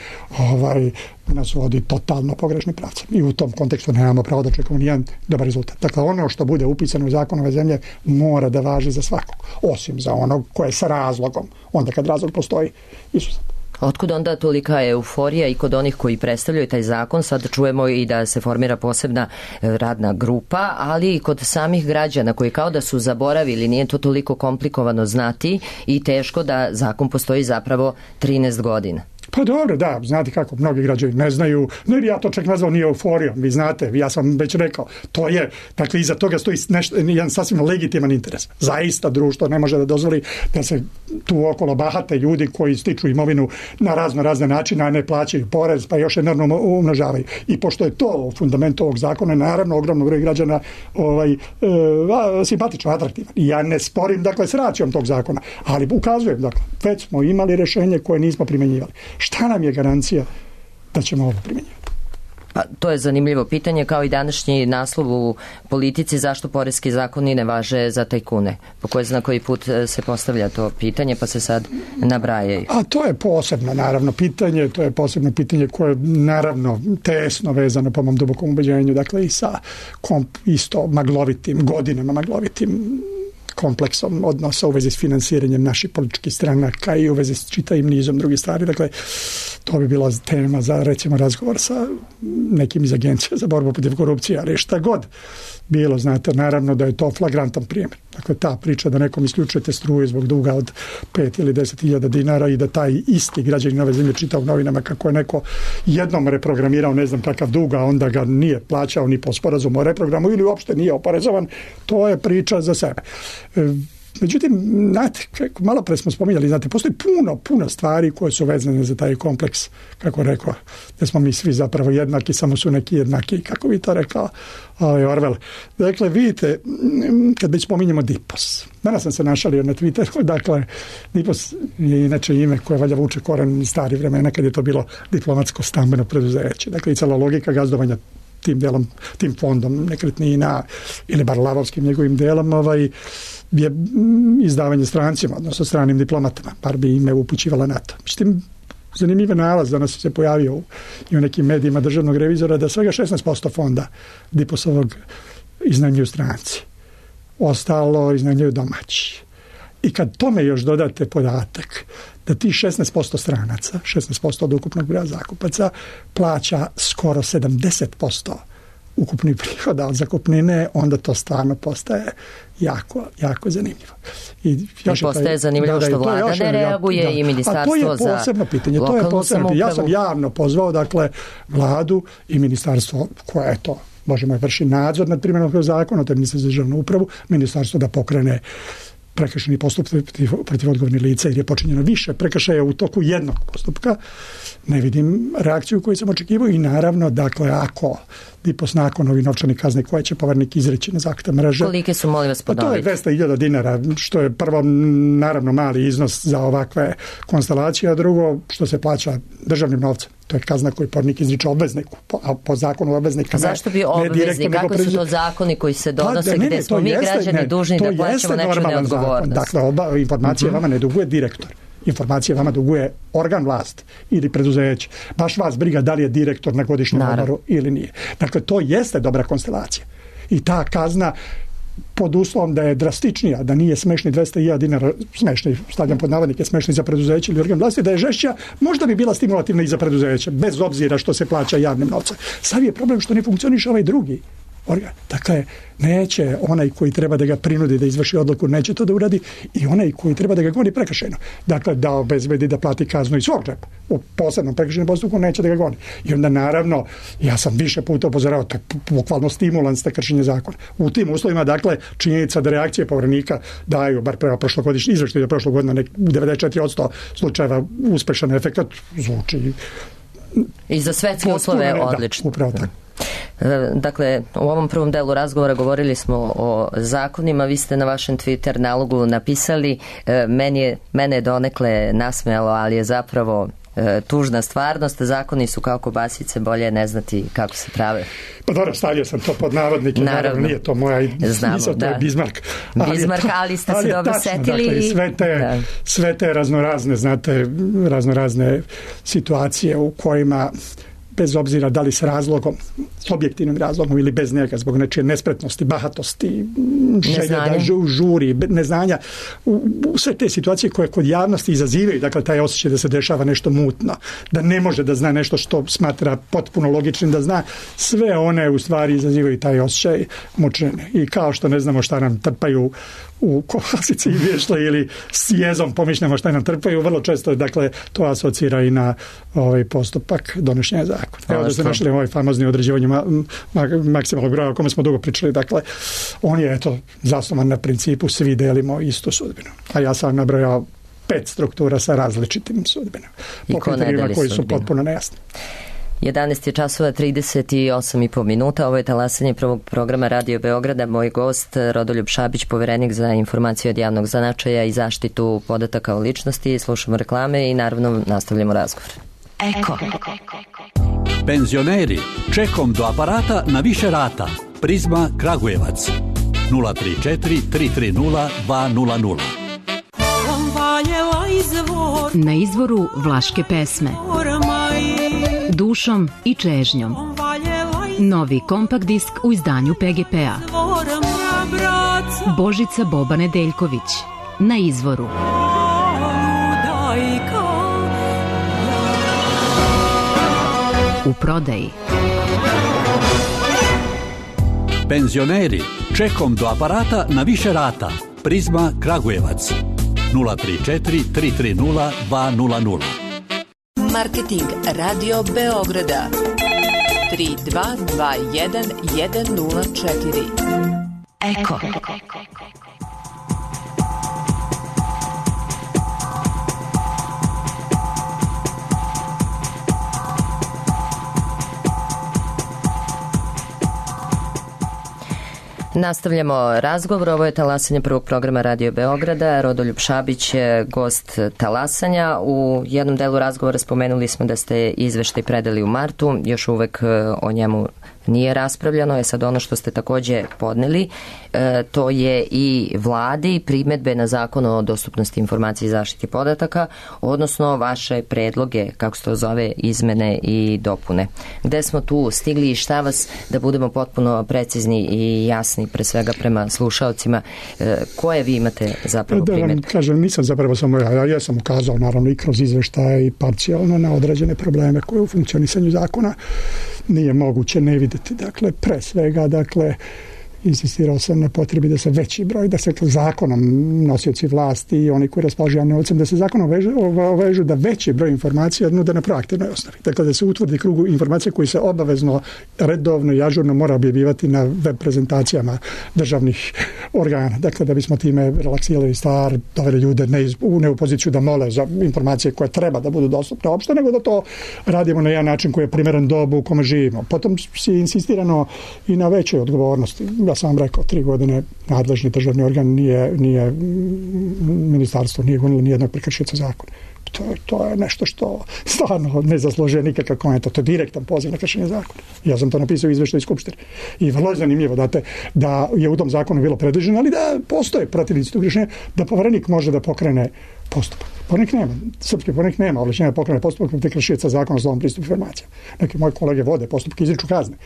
S5: nas vodi totalno pogrešni pravcem. I u tom kontekstu nemamo pravo da čekamo nijedan dobar rezultat. Dakle, ono što bude upisano u zakon ove zemlje mora da važi za svakog, osim za onog koje je sa razlogom, onda kad razlog postoji izuzetno.
S2: Otkud onda tolika euforija i kod onih koji predstavljaju taj zakon? Sad čujemo i da se formira posebna radna grupa, ali i kod samih građana koji kao da su zaboravili, nije to toliko komplikovano znati i teško da zakon postoji zapravo 13 godina.
S5: Pa dobro, da, znate kako, mnogi građani ne znaju, ne bi ja to čak nazvao ni euforijom, vi znate, ja sam već rekao, to je, dakle, iza toga stoji jedan sasvim legitiman interes. Zaista društvo ne može da dozvoli da se tu okolo bahate ljudi koji stiču imovinu na razne načine, a ne plaćaju porez, pa još enormno umnožavaju. I pošto je to fundament ovog zakona, naravno, ogromno broj građana simpatično, atraktivan. I ja ne sporim, dakle, s racijom tog zakona, ali ukazujem, dakle, već smo imali rešenje koje nismo primenjivali. Šta nam je garancija da ćemo ovo primjenjivati?
S2: Pa, to je zanimljivo pitanje, kao i današnji naslov u Politici, zašto poreski zakoni ne važe za tajkune. Po koji zna koji put se postavlja to pitanje, pa se sad nabrajaju. A
S5: to je posebno, naravno, pitanje, koje je, naravno, tesno vezano po mom dubokom ubeđenju, dakle, i sa isto godinama maglovitim kompleksom odnosa u vezi s finansiranjem naših političkih stranaka i u vezi s čitavim nizom drugih stvari. Dakle, to bi bila tema za, recimo, razgovor sa nekim iz agencija za borbu protiv korupcije, ali šta god bilo, znate, naravno da je to flagrantan primjer. Dakle, ta priča da nekom isključujete struju zbog duga od 5 ili 10.000 dinara i da taj isti građanin ove zemlje čita u novinama kako je neko jednom reprogramirao ne znam kakav dug, a onda ga nije plaćao ni po sporazumu o reprogramu ili uopšte nije oporezovan, to je priča za sebe. Međutim, znate, malo pre smo spominjali, znate, postoji puno stvari koje su vezane za taj kompleks, kako rekao, da smo mi svi zapravo jednaki, samo su neki jednaki, kako bi to rekao Orwell. Dakle, vidite, kad već spominjemo DIPOS, danas sam se našalio na Twitteru, dakle, DIPOS je inače ime koje valja vuče koren iz starih vremena, kad je to bilo diplomatsko stambeno preduzeće. Dakle, i cela logika gazdovanja tim delom, tim fondom nekretnina ili bar lavovskim njegovim delom je izdavanje strancima, odnosno stranim diplomatama, par bi ime upućivala na to. Međutim, zanimljiv nalaz danas se pojavio i u nekim medijima državnog revizora da svega 16% fonda Diposovog iznajmljuju stranci. Ostalo iznajmljuju domaći. I kad tome još dodate podatak da ti 16% stranaca, 16% od ukupnog broja zakupaca, plaća skoro 70% ukupnih prihoda od zakupnine, onda to stvarno postaje jako, jako zanimljivo.
S2: I postaje zanimljivo što vlada ne reaguje i ministarstvo za
S5: posebno pitanje. To je posebno pitanje. Ja sam javno pozvao, dakle, vladu i ministarstvo koje je to, možemo vrši nadzor nad primjenom zakona, to je ministarstvo za državnu upravu, ministarstvo da pokrene prekršajni postupak protiv odgovornih lica jer je počinjeno više prekršaja u toku jednog postupka. Ne vidim reakciju koju sam očekivao i naravno, dakle, ako Dipos nakon ovih novčanih kazni koje će povernik izreći na zahtjev mreže.
S2: Kolike su, molim vas, ponoviti?
S5: To je 200.000 dinara, što je prvo naravno mali iznos za ovakve konstelacije, a drugo što se plaća državnim novcem. To je kazna koju povernik izriče obvezniku, a po zakonu obveznika.
S2: Zašto bi obveznik? Kako su to zakoni koji se donose gdje smo mi građani dužni da plaćamo nečiju neodgovornost?
S5: Dakle, informacije vama ne duguje direktor. Informacije vama duguje organ vlasti ili preduzeće. Baš vas briga da li je direktor na godišnjem odmoru ili nije. Dakle, to jeste dobra konstelacija. I ta kazna pod uslovom da je drastičnija, da nije smešni 200.000 dinara, smešni, stavljam pod navodnike, smešni za preduzeće ili organ vlasti, da je žešća, možda bi bila stimulativna i za preduzeće, bez obzira što se plaća javnim novcem. Sad je problem što ne funkcioniše ovaj drugi organ. Dakle, neće onaj koji treba da ga prinudi da izvrši odluku, neće to da uradi i onaj koji treba da ga goni prekršajno. Dakle, da obezbedi da plati kaznu iz svog džepa. U posebnom prekršajnom postupku neće da ga goni. I onda naravno, ja sam više puta upozoravao, to je bukvalno stimulans za kršenje zakona. U tim uslovima, dakle, činjenica da reakcije poverenika daju, bar prema prošlogodišnji izveštaj, da prošlog godina u 94% slučajeva uspešan efekat, zvuči
S2: i za svetske uslove odlično.
S5: Da, upravo tako.
S2: Dakle, u ovom prvom delu razgovora govorili smo o zakonima, vi ste na vašem Twitter nalogu napisali, mene je donekle nasmejalo, ali je zapravo tužna stvarnost, zakoni su kao kobasice, bolje ne znati kako se prave.
S5: Pa dobro, stavio sam to pod navodnike, naravno nije to moja misao, to je Bismarck.
S2: Bismarck, ali ste se dobro setili.
S5: Dakle, sve te raznorazne, znate, raznorazne situacije u kojima bez obzira da li s razlogom, s objektivnim razlogom ili bez njega, zbog nečije nespretnosti, bahatosti, želje da žuri, neznanja, sve te situacije koje kod javnosti izazivaju, dakle, taj osjećaj da se dešava nešto mutno, da ne može da zna nešto što smatra potpuno logičnim da zna, sve one u stvari izazivaju taj osjećaj mučenja. I kao što ne znamo šta nam trpaju u kobasici i vješle ili s jezom pomišljamo šta nam trpaju, vrlo često, dakle, to asocira i na ovaj postupak donošenja zakona. Evo da ste našli ovaj famozni određivanje maksimalnog broja o kome smo dugo pričali, dakle, on je, eto, zasnovan na principu svi delimo istu sudbinu. A ja sam nabrojao 5 struktura sa različitim sudbinama. Po kriterijima koji su potpuno nejasni.
S2: 11 je časova 38,5 minuta. Ovo je talasanje prvog programa Radio Beograda. Moj gost Rodoljub Šabić, poverenik za informacije od javnog značaja i zaštitu podataka o ličnosti. Slušamo reklame i naravno nastavljamo razgovor.
S6: Eko. Penzioneri, čekom do aparata na više rata. Prizma Kragujevac 034 330 200.
S7: Na izvoru vlaške pesme Dušom i čežnjom. Novi kompakt disk u izdanju PGP-a. Božica Boba Nedeljković. Na izvoru. U prodaji.
S6: Penzioneri, čekom do aparata na više rata. Prizma Kragujevac 034 330 200.
S8: Marketing Radio Beograda 3221 104. Eko.
S2: Nastavljamo razgovor. Ovo je talasanje prvog programa Radio Beograda. Rodoljub Šabić je gost talasanja. U jednom delu razgovora spomenuli smo da ste izveštaj predali u martu. Još uvek o njemu nije raspravljano, je sad ono što ste takođe podneli, to je i vladi primedbe na zakon o dostupnosti informacije i zaštiti podataka, odnosno vaše predloge, kako se to zove, izmene i dopune. Gde smo tu stigli i šta vas, da budemo potpuno precizni i jasni pre svega prema slušaocima, koje vi imate zapravo primedbe?
S5: Da vam kažem, nisam zapravo samo ja sam ukazao naravno i kroz izveštaje i parcijalno na određene probleme koje u funkcionisanju zakona nije moguće ne videti. Dakle, pre svega, insistirao sam na potrebi da se veći broj, da se zakonom nosioci vlasti i oni koji raspolažu javnim novcem, da se zakonom ovežu da veći broj informacija nude na proaktivnoj osnovi. Dakle, da se utvrdi krug informacija koji se obavezno, redovno i ažurno mora objavljivati na web prezentacijama državnih organa. Dakle, da bismo time relaksirali stvar, doveli ljude ne u poziciju da mole za informacije koje treba da budu dostupne opšte, nego da to radimo na jedan način koji je primeren dobu u kome živimo. Potom si insistirano i na većoj odgovornosti. Ja sam vam rekao, 3 godine nadležni državni organ nije ministarstvo, nije gonilo nijednog prekršioca zakona. To je nešto što stvarno ne zaslužuje nikakav komentar. To je direktan poziv na kršenje zakona. Ja sam to napisao u izveštaju Skupštine. I vrlo je zanimljivo da je u tom zakonu bilo predviđeno, ali da postoje protivnici tog rješenja, da poverenik može da pokrene postupak. Srpski poverenik nema ovlašćenja da pokrene postupak protiv kršioca zakona o slobodnom pristupu informacijama. Neki moji kolege vode postupke, izriču kazne.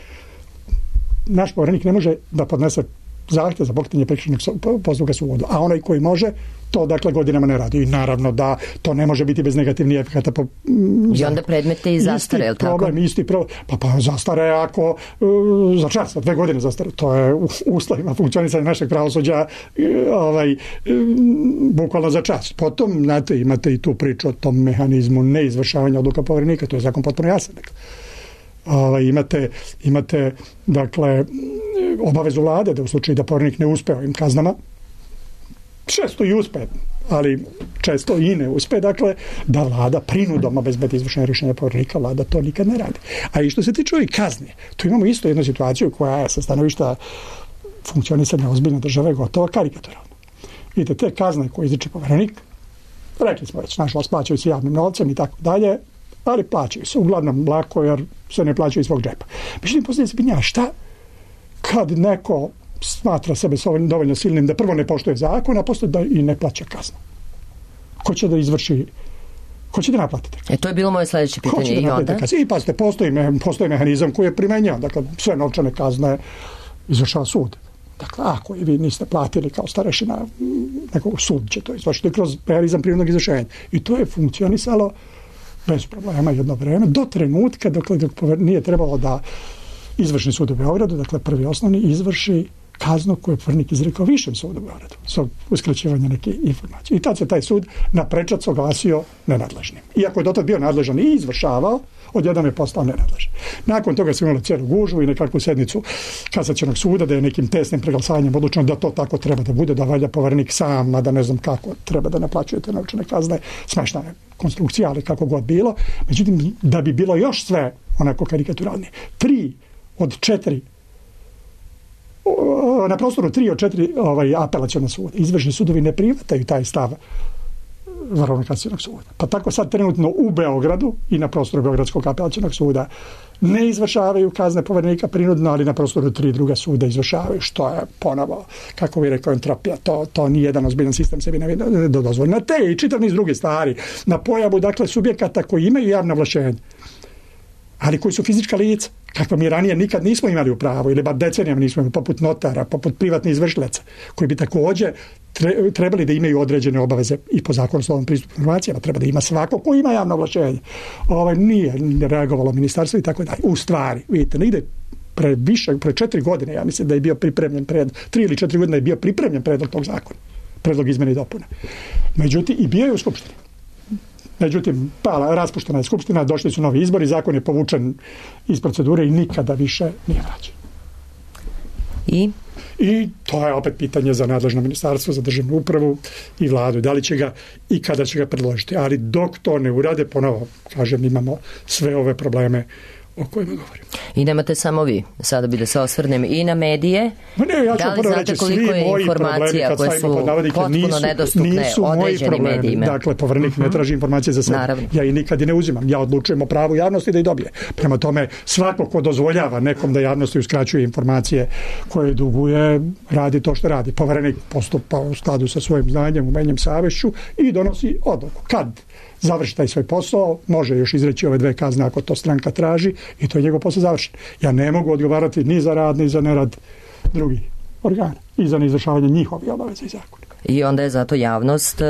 S5: Naš poverenik ne može da podnese zahtjev za pokretanje prekršajnog postupka sudu, a onaj koji može, to godinama ne radi. I naravno da to ne može biti bez negativnih efekata.
S2: I onda predmete i zastare, je li tako?
S5: Isti problem. Pa zastare ako za čas, 2 godine zastare. To je u uslovima funkcionisanja našeg pravosuđa bukvalno za čas. Potom, znate, imate i tu priču o tom mehanizmu neizvršavanja odluka poverenika, to je zakon potpuno jasan. Imate obavezu vlade da u slučaju da poverenik ne uspe ovim kaznama, često i uspe, ali često i ne uspe, da vlada prinudom obezbedi izvršenje rješenja poverenika, vlada to nikad ne radi. A i što se tiče ovih kazni, tu imamo isto jednu situaciju koja je sa stanovišta funkcionisanja ozbiljne države gotovo karikaturalna. Vidite, te kazne koje izriče poverenik, rekli smo već, nažalost, plaćaju se javnim novcem i tako dalje, ali plaćaju se uglavnom lako jer se ne plaćaju iz svog džepa. Međutim, postoji se pitanje, šta kad neko smatra sebe dovoljno silnim da prvo ne poštuje zakon, a posle da i ne plaća kaznu? Ko će da izvrši, ko će da naplati?
S2: To je bilo moje sledeće pitanje. I onda?
S5: I pazite, postoji mehanizam koji je primenjan. Dakle, sve novčane kazne izvršava sud. Dakle, ako i vi niste platili kao starešina nekog, sud će to izvršiti kroz mehanizam prinudnog izvršenja. I to je funkcionisalo bez problema jedno vreme, do trenutka dok nije trebalo da izvršni sud u Beogradu, dakle prvi osnovni, izvrši kaznu koju je poverenik izrekao višem sudu u Beogradu sa uskraćivanjem neke informacije. I tad se taj sud na prečac oglasio nenadležnim. Iako je dotad bio nadležan i izvršavao, odjednom je postao nenadležan. Nakon toga smo imali cijelu gužvu i nekakvu sednicu kasacionog suda da je nekim tesnim preglasavanjem odlučeno da to tako treba da bude, da valja poverenik sam, a da ne znam kako treba da naplaćuje te novčane kazne. Smešna je konstrukcija, ali kako god bilo. Međutim, da bi bilo još sve onako karikaturalnije, 3 od 4 na prostoru 3 od 4 apelaciona suda. Izvršni sudovi ne prihvataju taj stav Vrhovnog kasacionog suda. Pa tako sad trenutno u Beogradu i na prostoru Beogradskog apelacionog suda ne izvršavaju kazne poverenika prinudno, ali na prostoru 3 druga suda izvršavaju, što je ponovo, kako bi rekao, entropija. To nije jedan ozbiljan sistem sebi ne dozvoli. Na te i čitav niz druge stvari, na pojavu, subjekata koji imaju javno ovlašćenje, ali koji su fizička lica, kakva mi ranije nikad nismo imali u pravu, ili bar decenijama nismo imali, poput notara, poput privatnih izvršilaca, koji bi također trebali da imaju određene obaveze i po zakonu o slobodnom pristupu informacijama, treba da ima svako ko ima javno ovlašćenje. Nije reagovalo ministarstvo i tako dalje. U stvari, vidite, negde pre 4 godine, ja mislim da je bio pripremljen 3 ili 4 godine je bio pripremljen predlog tog zakona, predlog izmene i dopune. Međutim, i bio je u Skupštini. Međutim, raspuštena je Skupština, došli su novi izbori, zakon je povučen iz procedure i nikada više nije vraćen. I to je opet pitanje za nadležno ministarstvo, za državnu upravu i vladu. Da li će ga i kada će ga predložiti. Ali dok to ne urade, ponovo, kažem, imamo sve ove probleme o kojima govorim.
S2: I nemate samo vi. Sada bi da se osvrnem i na medije.
S5: Ja ću prvo reći, svi moji problemi, kad stavimo pod navodnike, nisu moji problemi.
S2: Medijima.
S5: Dakle, Poverenik ne traži informacije za sebe.
S2: Naravno.
S5: Ja i nikad i ne uzimam. Ja odlučujem o pravu javnosti da ih dobije. Prema tome, svako ko dozvoljava nekom da javnosti uskraćuje informacije koje duguje, radi to što radi. Poverenik postupa u skladu sa svojim znanjem, umenjem, savešću i donosi odluku. Kad završi taj svoj posao, može još izreći ove 2 kazne ako to stranka traži i to je njegov posao završen. Ja ne mogu odgovarati ni za rad, ni za nerad drugih organa i za neizvršavanje njihovih obaveza i zakona.
S2: I onda je zato javnost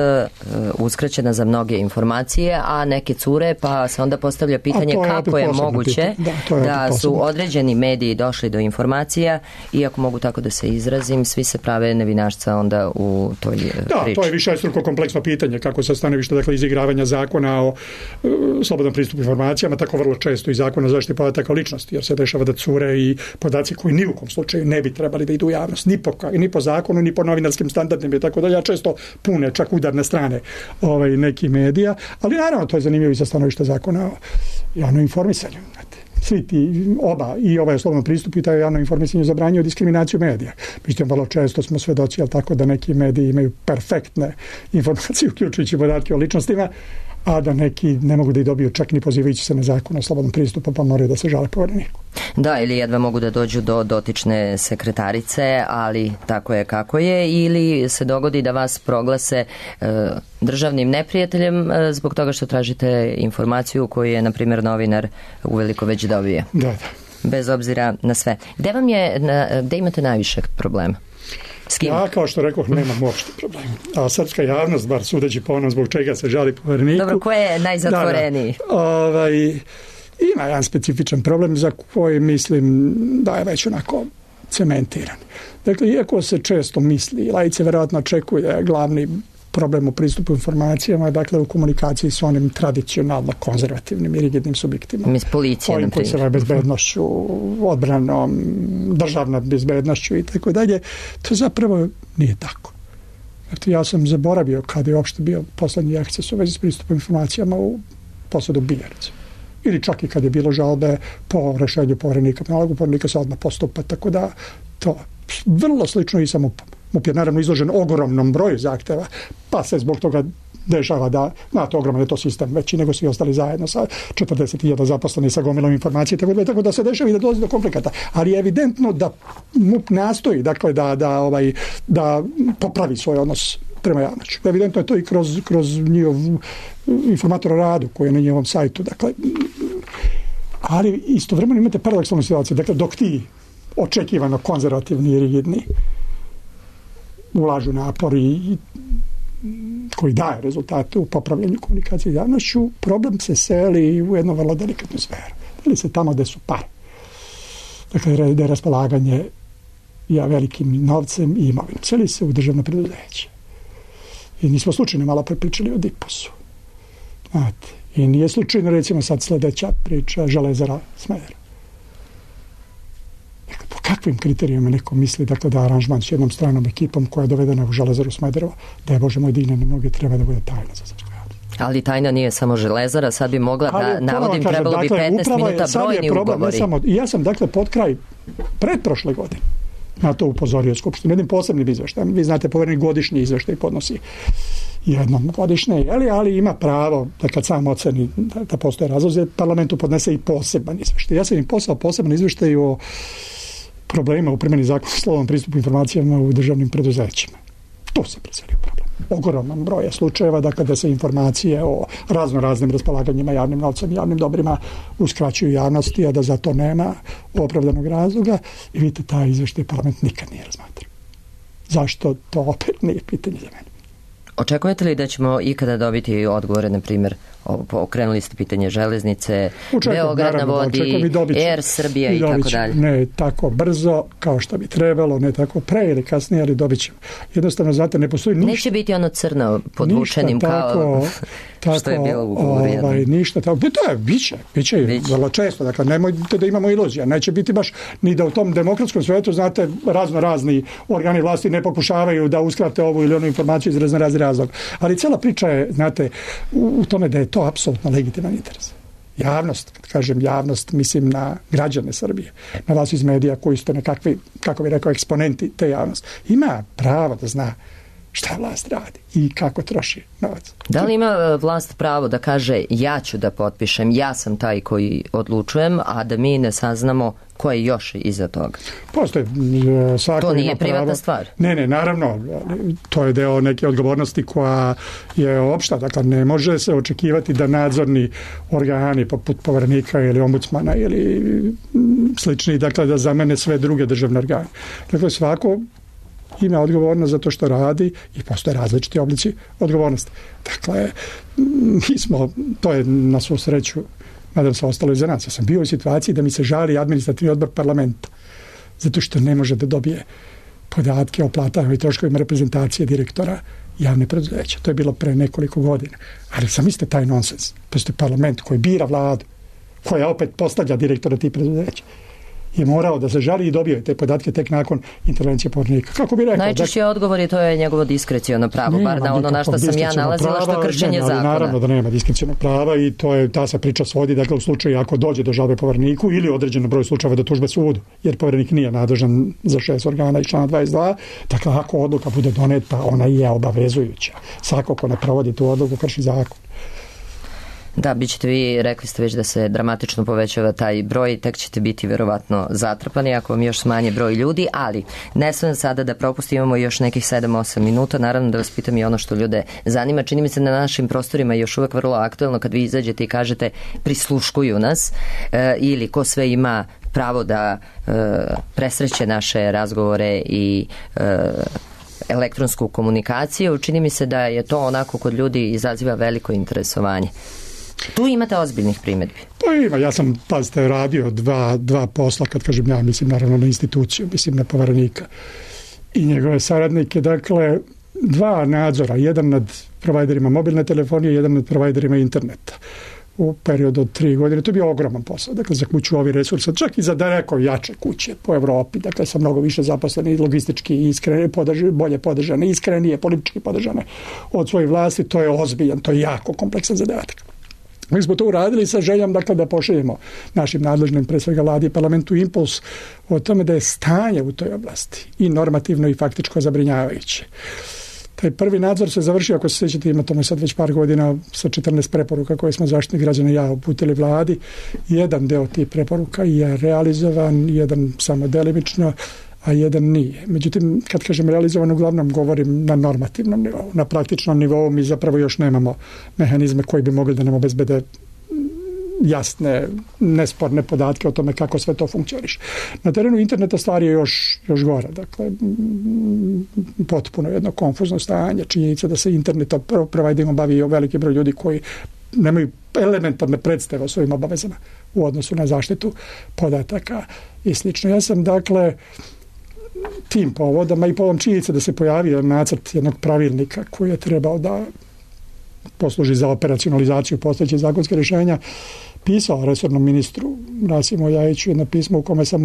S2: uskraćena za mnoge informacije, a neke cure, pa se onda postavlja pitanje kako je moguće da su određeni mediji došli do informacija, i ako mogu tako da se izrazim, svi se prave nevinašca onda u toj priči.
S5: Da, to je višestruko kompleksno pitanje kako sa stanovišta, dakle, izigravanja zakona o slobodnom pristupu informacijama, tako vrlo često i zakona o zaštiti podataka o ličnosti, jer se dešava da cure i podaci koji ni u kom slučaju ne bi trebali da idu u javnost, ni po zakonu, ni po novinarskim standardima i tako dalje. Ja često pune čak udarne strane nekih medija, ali naravno to je zanimljivo i sa stanovišta zakona o javnom informisanju. Svi ti i ovaj slobodno pristup i taj javno informisanje zabranjuju diskriminaciju medija. Međutim, vrlo često smo svedoci, tako da neki mediji imaju perfektne informacije, uključujući podatke o ličnostima, a da neki ne mogu da ih dobiju čak ni pozivajući se na zakon o slobodnom pristupu, pa moraju da se žale Povereniku.
S2: Da, ili jedva mogu da dođu do dotične sekretarice, ali tako je kako je, ili se dogodi da vas proglase državnim neprijateljem zbog toga što tražite informaciju koju je, na primjer, novinar uveliko već dobije.
S5: Da.
S2: Bez obzira na sve. Gde imate najviše problema?
S5: Ja, kao što rekoh, nemam uopšte problema. A srpska javnost, bar sudeći po onom zbog čega se žali Povereniku...
S2: Dobro, ko je najzatvoreniji?
S5: Ima jedan specifičan problem za koji mislim da je već onako cementiran. Dakle, iako se često misli, laice verovatno očekuju da je glavni problem u pristupu informacijama, dakle u komunikaciji s onim tradicionalno konzervativnim i rigidnim subjektima.
S2: Policija,
S5: ovim koji se bave bezbednošću, odbranom, državnom bezbednošću i tako dalje. To zapravo nije tako. Ja sam zaboravio kada je uopšte bio poslednji akces u vezi s pristupom informacijama u posadu Biljarica. Ili čak i kad je bilo žalbe po rešenju Poverenika, nalogu Poverenika se odmah postupa, tako da to vrlo slično i sa MUP-om. MUP je naravno izložen ogromnom broju zahteva, pa se zbog toga dešava da, znate, ogroman je to sistem veći nego svi ostali zajedno sa 40.000 zaposlenih sa gomilom informacije, tako da se dešava i da dolazi do konflikata. Ali je evidentno da MUP nastoji, dakle, da popravi svoj odnos prema javnošću. Evidentno je to i kroz njihov informator o radu koji je na njihovom sajtu. Dakle, ali istovremeno imate paradoksalnu situaciju. Dakle, dok ti očekivano konzervativni i rigidni ulažu napori koji daje rezultate u popravljanju komunikacije s javnošću, problem se seli u jednu vrlo delikatnu sferu. Ili se tamo gde su pare. Dakle, da je raspolaganje velikim novcem i imovinom. Seli se u državno preduzeće. I nismo slučajno malo prepričali o DIPOS-u. Znate, i nije slučajno, recimo, sad sledeća priča Železara Smederevo. Dakle, po kakvim kriterijima neko misli, dakle, da aranžman s jednom stranom ekipom koja je dovedena u Železaru Smederevo, da je, Bože moj, digne na mnoge, treba da bude tajna za srpsku javnost.
S2: Ali tajna nije samo Železara, sad bi mogla da navodim, trebalo bi 15 minuta brojni ugovori.
S5: Ja sam, dakle, pod kraj pretprošle godine na to upozorio Skupštinu jednim posebnim izveštajem. Vi znate, Poverenik godišnji izveštaj podnosi jednom godišnje, ali ima pravo da kad sam oceni da postoje razlozi, parlamentu podnese i poseban izveštaj. Ja sam im poslao poseban izveštaj o problemima u primjeni zakona o slobodnom pristupu informacijama u državnim preduzećima. To se preselio problem. Ogroman broj slučajeva, dakle, da se informacije o raznim raspolaganjima javnim novcem i javnim dobrima uskraćuju javnosti, a da za to nema opravdanog razloga. I vidite, taj izveštaj parlament nikad nije razmatrao. Zašto? To opet nije pitanje za mene.
S2: Očekujete li da ćemo ikada dobiti odgovore, na primjer, okrenuli ste pitanje železnice, Beograd na vodi, Air Srbija i tako dalje?
S5: Ne tako brzo kao što bi trebalo, ne tako pre ili kasnije, ali dobit ćemo. Jednostavno, znate, ne postoji ništa.
S2: Neće biti ono crno podvučenim kao što je bilo u ugovoru jednom.
S5: Ništa tako. Da, biće vrlo često. Dakle, nemojte da imamo iluzija. Neće biti baš ni da u tom demokratskom svetu, znate, razni organi vlasti ne pokušavaju da uskrate ovu ili onu informaciju iz razni razlog. Ali cijela priča je, znate, u tome da je to apsolutno legitiman interes. javnost, kad kažem javnost, mislim na građane Srbije, na vas iz medija koji ste nekakvi, kako bih rekao, eksponenti te javnosti, ima pravo da zna šta vlast radi i kako troši novac.
S2: Da li ima vlast pravo da kaže ja ću da potpišem, ja sam taj koji odlučujem, a da mi ne saznamo ko je još iza toga?
S5: Postoje, svako
S2: to nije
S5: ima
S2: privatna
S5: pravo.
S2: stvar.
S5: Ne, naravno, to je deo neke odgovornosti koja je opšta, dakle ne može se očekivati da nadzorni organi poput Poverenika ili ombudsmana ili slični, dakle da zamene sve druge državne organe. Dakle, svako ima odgovornost za to što radi i postoje različiti oblici odgovornosti. Dakle, mi smo, to je na svu sreću, nadam se ostalo iza nas. Ja sam bio u situaciji da mi se žali administrativni odbor parlamenta zato što ne može da dobije podatke o platama i troškovima reprezentacije direktora javne preduzeća. To je bilo pre nekoliko godina. Ali sam isto taj nonsens. Postoji parlament koji bira vladu, koja opet postavlja direktora tih preduzeća, je morao da se žali i dobio te podatke tek nakon intervencije Poverenika. Kako bi rekao?
S2: Najčešći odgovor je to je njegovo diskreciono pravo, bar na ono na što sam ja nalazila, što kršenje zakona.
S5: Naravno da nema diskrecionog prava i to je, ta se priča svodi, dakle u slučaju ako dođe do žalbe Povereniku ili određeno broj slučajeva do tužbe sudu, jer Poverenik nije nadležan za 6 organa iz člana 22, dakle ako odluka bude doneta, ona je obavezujuća. Svako ko ne provodi tu odluku krši zakon.
S2: Da, bit ćete vi, rekli ste već da se dramatično povećava taj broj, tek ćete biti verovatno zatrpani ako vam još smanje broj ljudi, ali ne smem sada da propustim, imamo još nekih 7-8 minuta, naravno da vas pitam i ono što ljude zanima. Čini mi se na našim prostorima još uvek vrlo aktuelno kad vi izađete i kažete prisluškuju nas ili ko sve ima pravo da presreće naše razgovore i elektronsku komunikaciju. Čini mi se da je to onako kod ljudi izaziva veliko interesovanje. Tu imate ozbiljnih primjedbi.
S5: Pa ima, ja sam, pazite, radio dva posla, kad kažem ja, mislim naravno na instituciju, mislim na Poverenika i njegove saradnike, dakle, 2 nadzora, jedan nad provajderima mobilne telefonije, jedan nad provajderima interneta u periodu od 3 godine. To je bio ogroman posao, dakle, za kuću ovih resursa, čak i za daleko jače kuće po Evropi, dakle, sa mnogo više zaposleni, logistički iskreni, bolje podržane, iskrenije, politički podržane od svojih vlasti, to je ozbiljan, to je jako kompleksan zadatak. Mi smo to uradili sa željom, dakle, da pošaljemo našim nadležnim, pre svega vladi i parlamentu, impuls o tome da je stanje u toj oblasti i normativno i faktičko zabrinjavajuće. Taj prvi nadzor se završio, ako se sjećate, ima tome sad već par godina, sa 14 preporuka koje smo Zaštitnik građana i ja uputili vladi. Jedan deo tih preporuka je realizovan, jedan samo delimično, a jedan nije. Međutim, kad kažem realizovan, uglavnom govorim na normativnom nivou. Na praktičnom nivou mi zapravo još nemamo mehanizme koji bi mogli da nam obezbede jasne, nesporne podatke o tome kako sve to funkcioniše. Na terenu interneta stvar je još gore. Dakle, potpuno jedno konfuzno stanje. Činjenica da se internetom providerima bavi veliki broj ljudi koji nemaju elementarne predstave o svojim obavezama u odnosu na zaštitu podataka i slično. Ja sam, dakle, tim povodama i povodom činjenice da se pojavio nacrt jednog pravilnika koji je trebao da posluži za operacionalizaciju postojećih zakonskih rješenja, pisao resornom ministru Rasimu Ljajiću jedno pismo u kome sam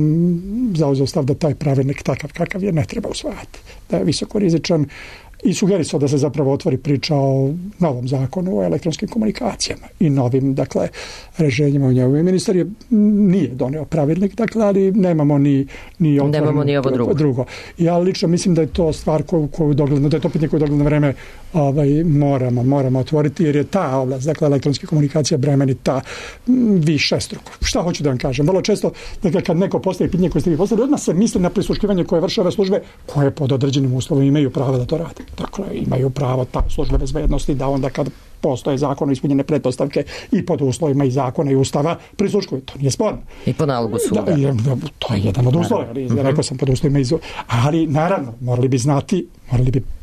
S5: zauzeo stav da taj pravilnik takav kakav je ne treba usvajati, da je visoko rizičan i sugerisao da se zapravo otvori priča o novom zakonu o elektronskim komunikacijama i novim, dakle, rešenjima u njemu. Ministar nije doneo pravilnik, dakle, ali nemamo ni
S2: ovo
S5: drugo. Ja lično mislim da je to stvar koju dogledno, da je to pitanje koje dogledno vreme moramo otvoriti, jer je ta oblast, dakle, elektronske komunikacije bremenita višestruko. Šta hoću da vam kažem? Vrlo često, dakle, kad neko postavi pitanje koje ste vi postavili, odmah se misli na prisluškivanje koje vrše ove službe koje pod određenim uslovima imaju pravo da to rade. Dakle, imaju pravo ta službe bezbednosti da onda kad postoje zakonom ispunjene pretpostavke i pod uslovima i zakona i ustava prisluškuju. To nije sporno.
S2: I po nalogu suda.
S5: To je jedan od uslova. Rekao sam pod uslovima ali naravno, morali bi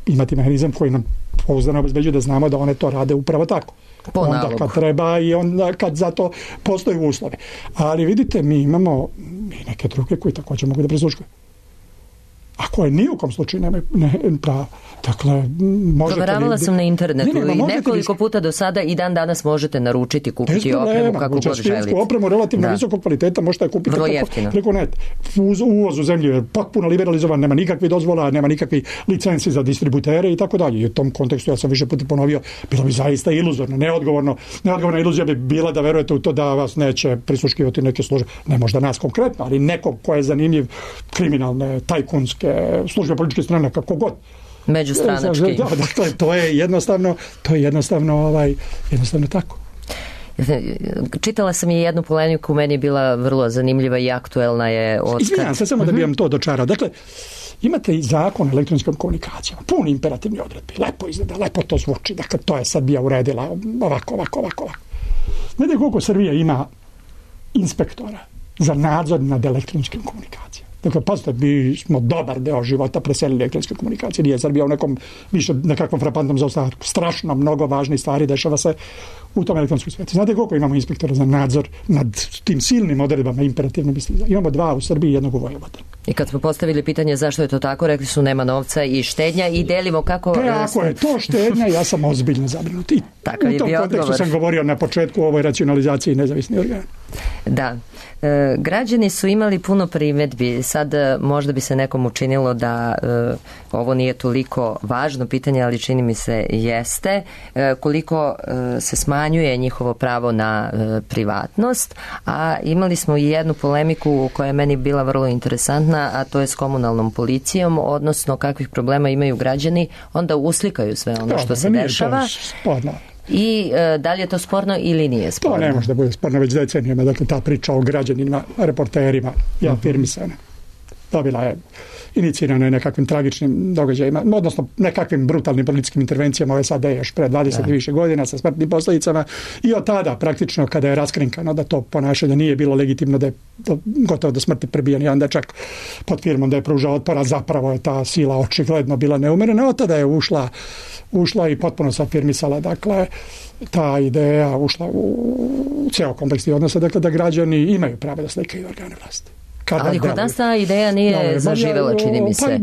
S5: imati mehanizam koji nam pouzdano obezbeđuje da znamo da one to rade upravo tako. Onda kad treba i onda kad za to postoje uslovi. Ali vidite, mi imamo i neke druge koji također mogu da prisluškuju. a koje ni u kom slučaju nemaju pravo. Dakle,
S2: proveravala sam na internetu i nekoliko puta do sada i dan danas možete naručiti, kupiti opremu kako god želite.
S5: Opremu relativno visokog kvaliteta možete je kupiti preko net. Uvoz u zemlju je potpuno liberalizovan, nema nikakvih dozvola, nema nikakvih licenci za distributere i tako dalje. I u tom kontekstu ja sam više puta ponovio, bilo bi zaista iluzorno, neodgovorna iluzija bi bila da verujete u to da vas neće prisluškivati neke službe, ne možda nas konkretno, ali neko ko je zanimljiv, kriminalne, tajkunske službe političke strane, kako god.
S2: Međustranački.
S5: Da, dakle, to je jednostavno tako.
S2: Čitala sam je jednu polemiku, meni je bila vrlo zanimljiva i aktuelna je od...
S5: Izvinjam se, samo da bi vam to dočarao. Dakle, imate i zakon o elektronskom komunikacijama, pun imperativni odredbi, lepo izgleda, lepo to zvuči, dakle, to je Srbija uredila ovako. Znate koliko Srbija ima inspektora za nadzor nad elektronskim komunikacijama? Dakle, pazite, mi smo dobar deo života preselili elektronske komunikacije, nije Srbija u nekom više nekakvom frapantnom zaostatku. Strašno mnogo važnih stvari dešava se u tom elektronskom svijetu. Znate koliko imamo inspektora za nadzor nad tim silnim odredbama imperativnim istiza? Imamo 2 u Srbiji i 1 u Vojvodini.
S2: I kad smo postavili pitanje zašto je to tako, rekli su nema novca i štednja i delimo kako...
S5: Ako je to štednja, ja sam ozbiljno zabrinut. I
S2: takav je bio odgovor. U tom kontekstu
S5: sam govorio na početku o ovoj racionalizaciji nezavisnih organa.
S2: Da. Građani su imali puno primjedbi. Sad možda bi se nekom učinilo da ovo nije toliko važno pitanje, ali čini mi se jeste. Koliko se smanjuje njihovo pravo na privatnost, a imali smo i jednu polemiku koja je meni bila vrlo interesantna, a to je s komunalnom policijom, odnosno kakvih problema imaju građani, onda uslikaju sve ono što se dešava. I da li je to sporno ili nije sporno?
S5: To ne može da bude sporno već decenijama. Dakle, ta priča o građanima, reporterima je afirmisana. Dobila je inicirana je nekakvim tragičnim događajima, odnosno nekakvim brutalnim političkim intervencijama ove SAD još pre 20 i više godina sa smrtnim posljedicama i od tada praktično kada je raskrinkano da to ponašanje nije bilo legitimno, da je gotovo do smrti prebijen jedan dečak pod firmom da je pružao otpora, zapravo je ta sila očigledno bila neumerena, od tada je ušla i potpuno se afirmisala, dakle ta ideja ušla u cijel kompleks odnosa, dakle da građani imaju pravo da slikaju organe vlasti.
S2: Ali kod nas ta ideja nije zaživela, čini mi se.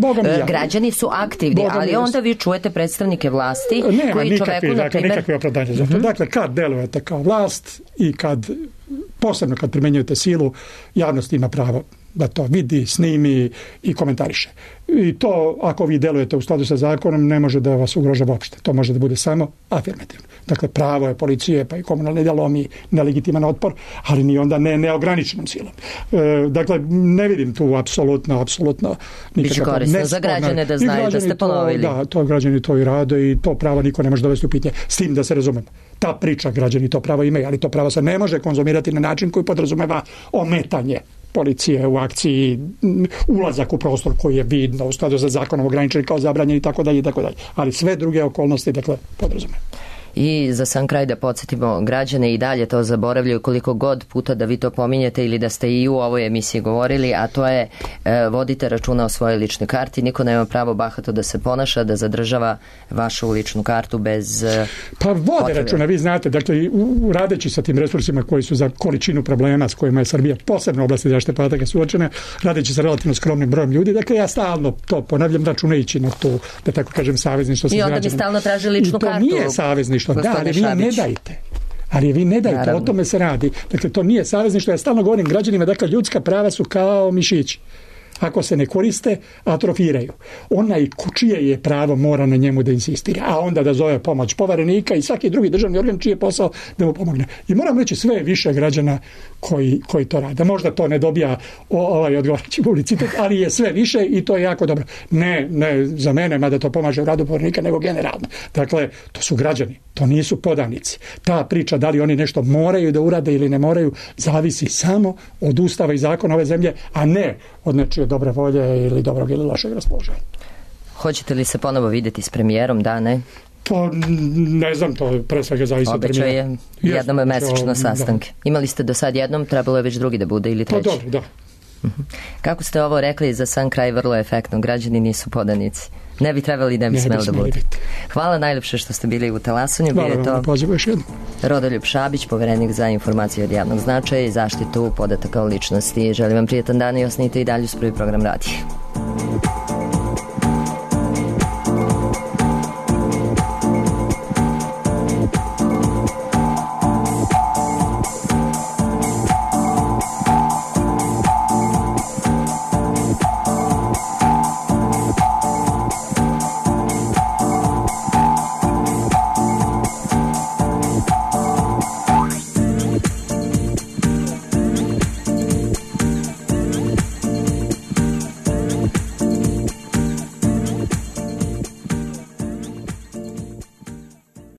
S2: Građani su aktivni, ali onda vi čujete predstavnike vlasti koji čoveku, na primjer...
S5: Nikakve opravdanje za to. Dakle, kad delujete kao vlast i posebno kad primjenjujete silu, javnost ima pravo da to vidi, snimi i komentariše. I to, ako vi delujete u skladu sa zakonom, ne može da vas ugrožava uopšte. To može da bude samo afirmativno. Dakle, pravo je policije, pa i komunalne delomi, nelegitiman otpor, ali ni onda neograničenom silom. Dakle, ne vidim tu apsolutno
S2: biće korisno za građane da znaju da ste ponovili.
S5: Da, to građani to i rade i to pravo niko ne može dovesti u pitanje. S tim da se razumemo. Ta priča građani to pravo imaju, ali to pravo se ne može konzumirati na način koji podrazumeva ometanje policije u akciji, ulazak u prostor koji je vidno u skladu sa zakonom ograničen kao zabranjen i tako dalje. Ali sve druge okolnosti, dakle, podrazumeva.
S2: I za sam kraj da podsjetimo, građane i dalje to zaboravljaju koliko god puta da vi to pominjete ili da ste i u ovoj emisiji govorili, a to je vodite računa o svojoj ličnoj karti. Niko nema pravo bahato da se ponaša, da zadržava vašu ličnu kartu bez
S5: Pa vode računa, vi znate, dakle, radeći sa tim resursima koji su za količinu problema s kojima je Srbija posebno u oblasti zaštite podataka suočena, radeći sa relativno skromnim brojem ljudi, dakle ja stalno to ponavljam, računajući na tu, da tako kažem, savezništvo sa građanima.
S2: I onda mi stalno traže ličnu kartu.
S5: I to nije savezništvo. Da, ali vi ne dajte. O tome se radi. Dakle, to nije savezništvo. Ja stalno govorim građanima, dakle, ljudska prava su kao mišići. Ako se ne koriste, atrofiraju. Onaj čije je pravo mora na njemu da insistira, a onda da zove pomoć poverenika i svaki drugi državni organ čiji je posao da mu pomogne. I moram reći, sve više građana koji to rade. Možda to ne dobija odgovarajući publicitet, ali je sve više i to je jako dobro. Ne za mene, mada to pomaže u radu poverenika, nego generalno. Dakle, to su građani, to nisu podanici. Ta priča da li oni nešto moraju da urade ili ne moraju, zavisi samo od ustava i zakona ove zemlje, a ne od nečije dobre volje ili dobrog ili lošeg raspoloženja.
S2: Hoćete li se ponovo vidjeti s premijerom, da, ne?
S5: Pa ne znam, to pre svega zavisi od premijera.
S2: Obećao je jednom mesečno sastanke. Da. Imali ste do sad jednom, trebalo je već drugi da bude ili treći?
S5: Pa dobro, da.
S2: Kako ste ovo rekli za sam kraj, vrlo efektno, građani nisu podanici. Ne bi trebali, ne bi smeli da bude. Hvala najljepše što ste bili u Talasanju.
S5: Hvala vam, pozivu još jednom.
S2: Rodoljub Šabić, poverenik za informacije od javnog značaja i zaštitu podataka o ličnosti. Želim vam prijetan dan i ostanite i dalje uz Prvi program radija.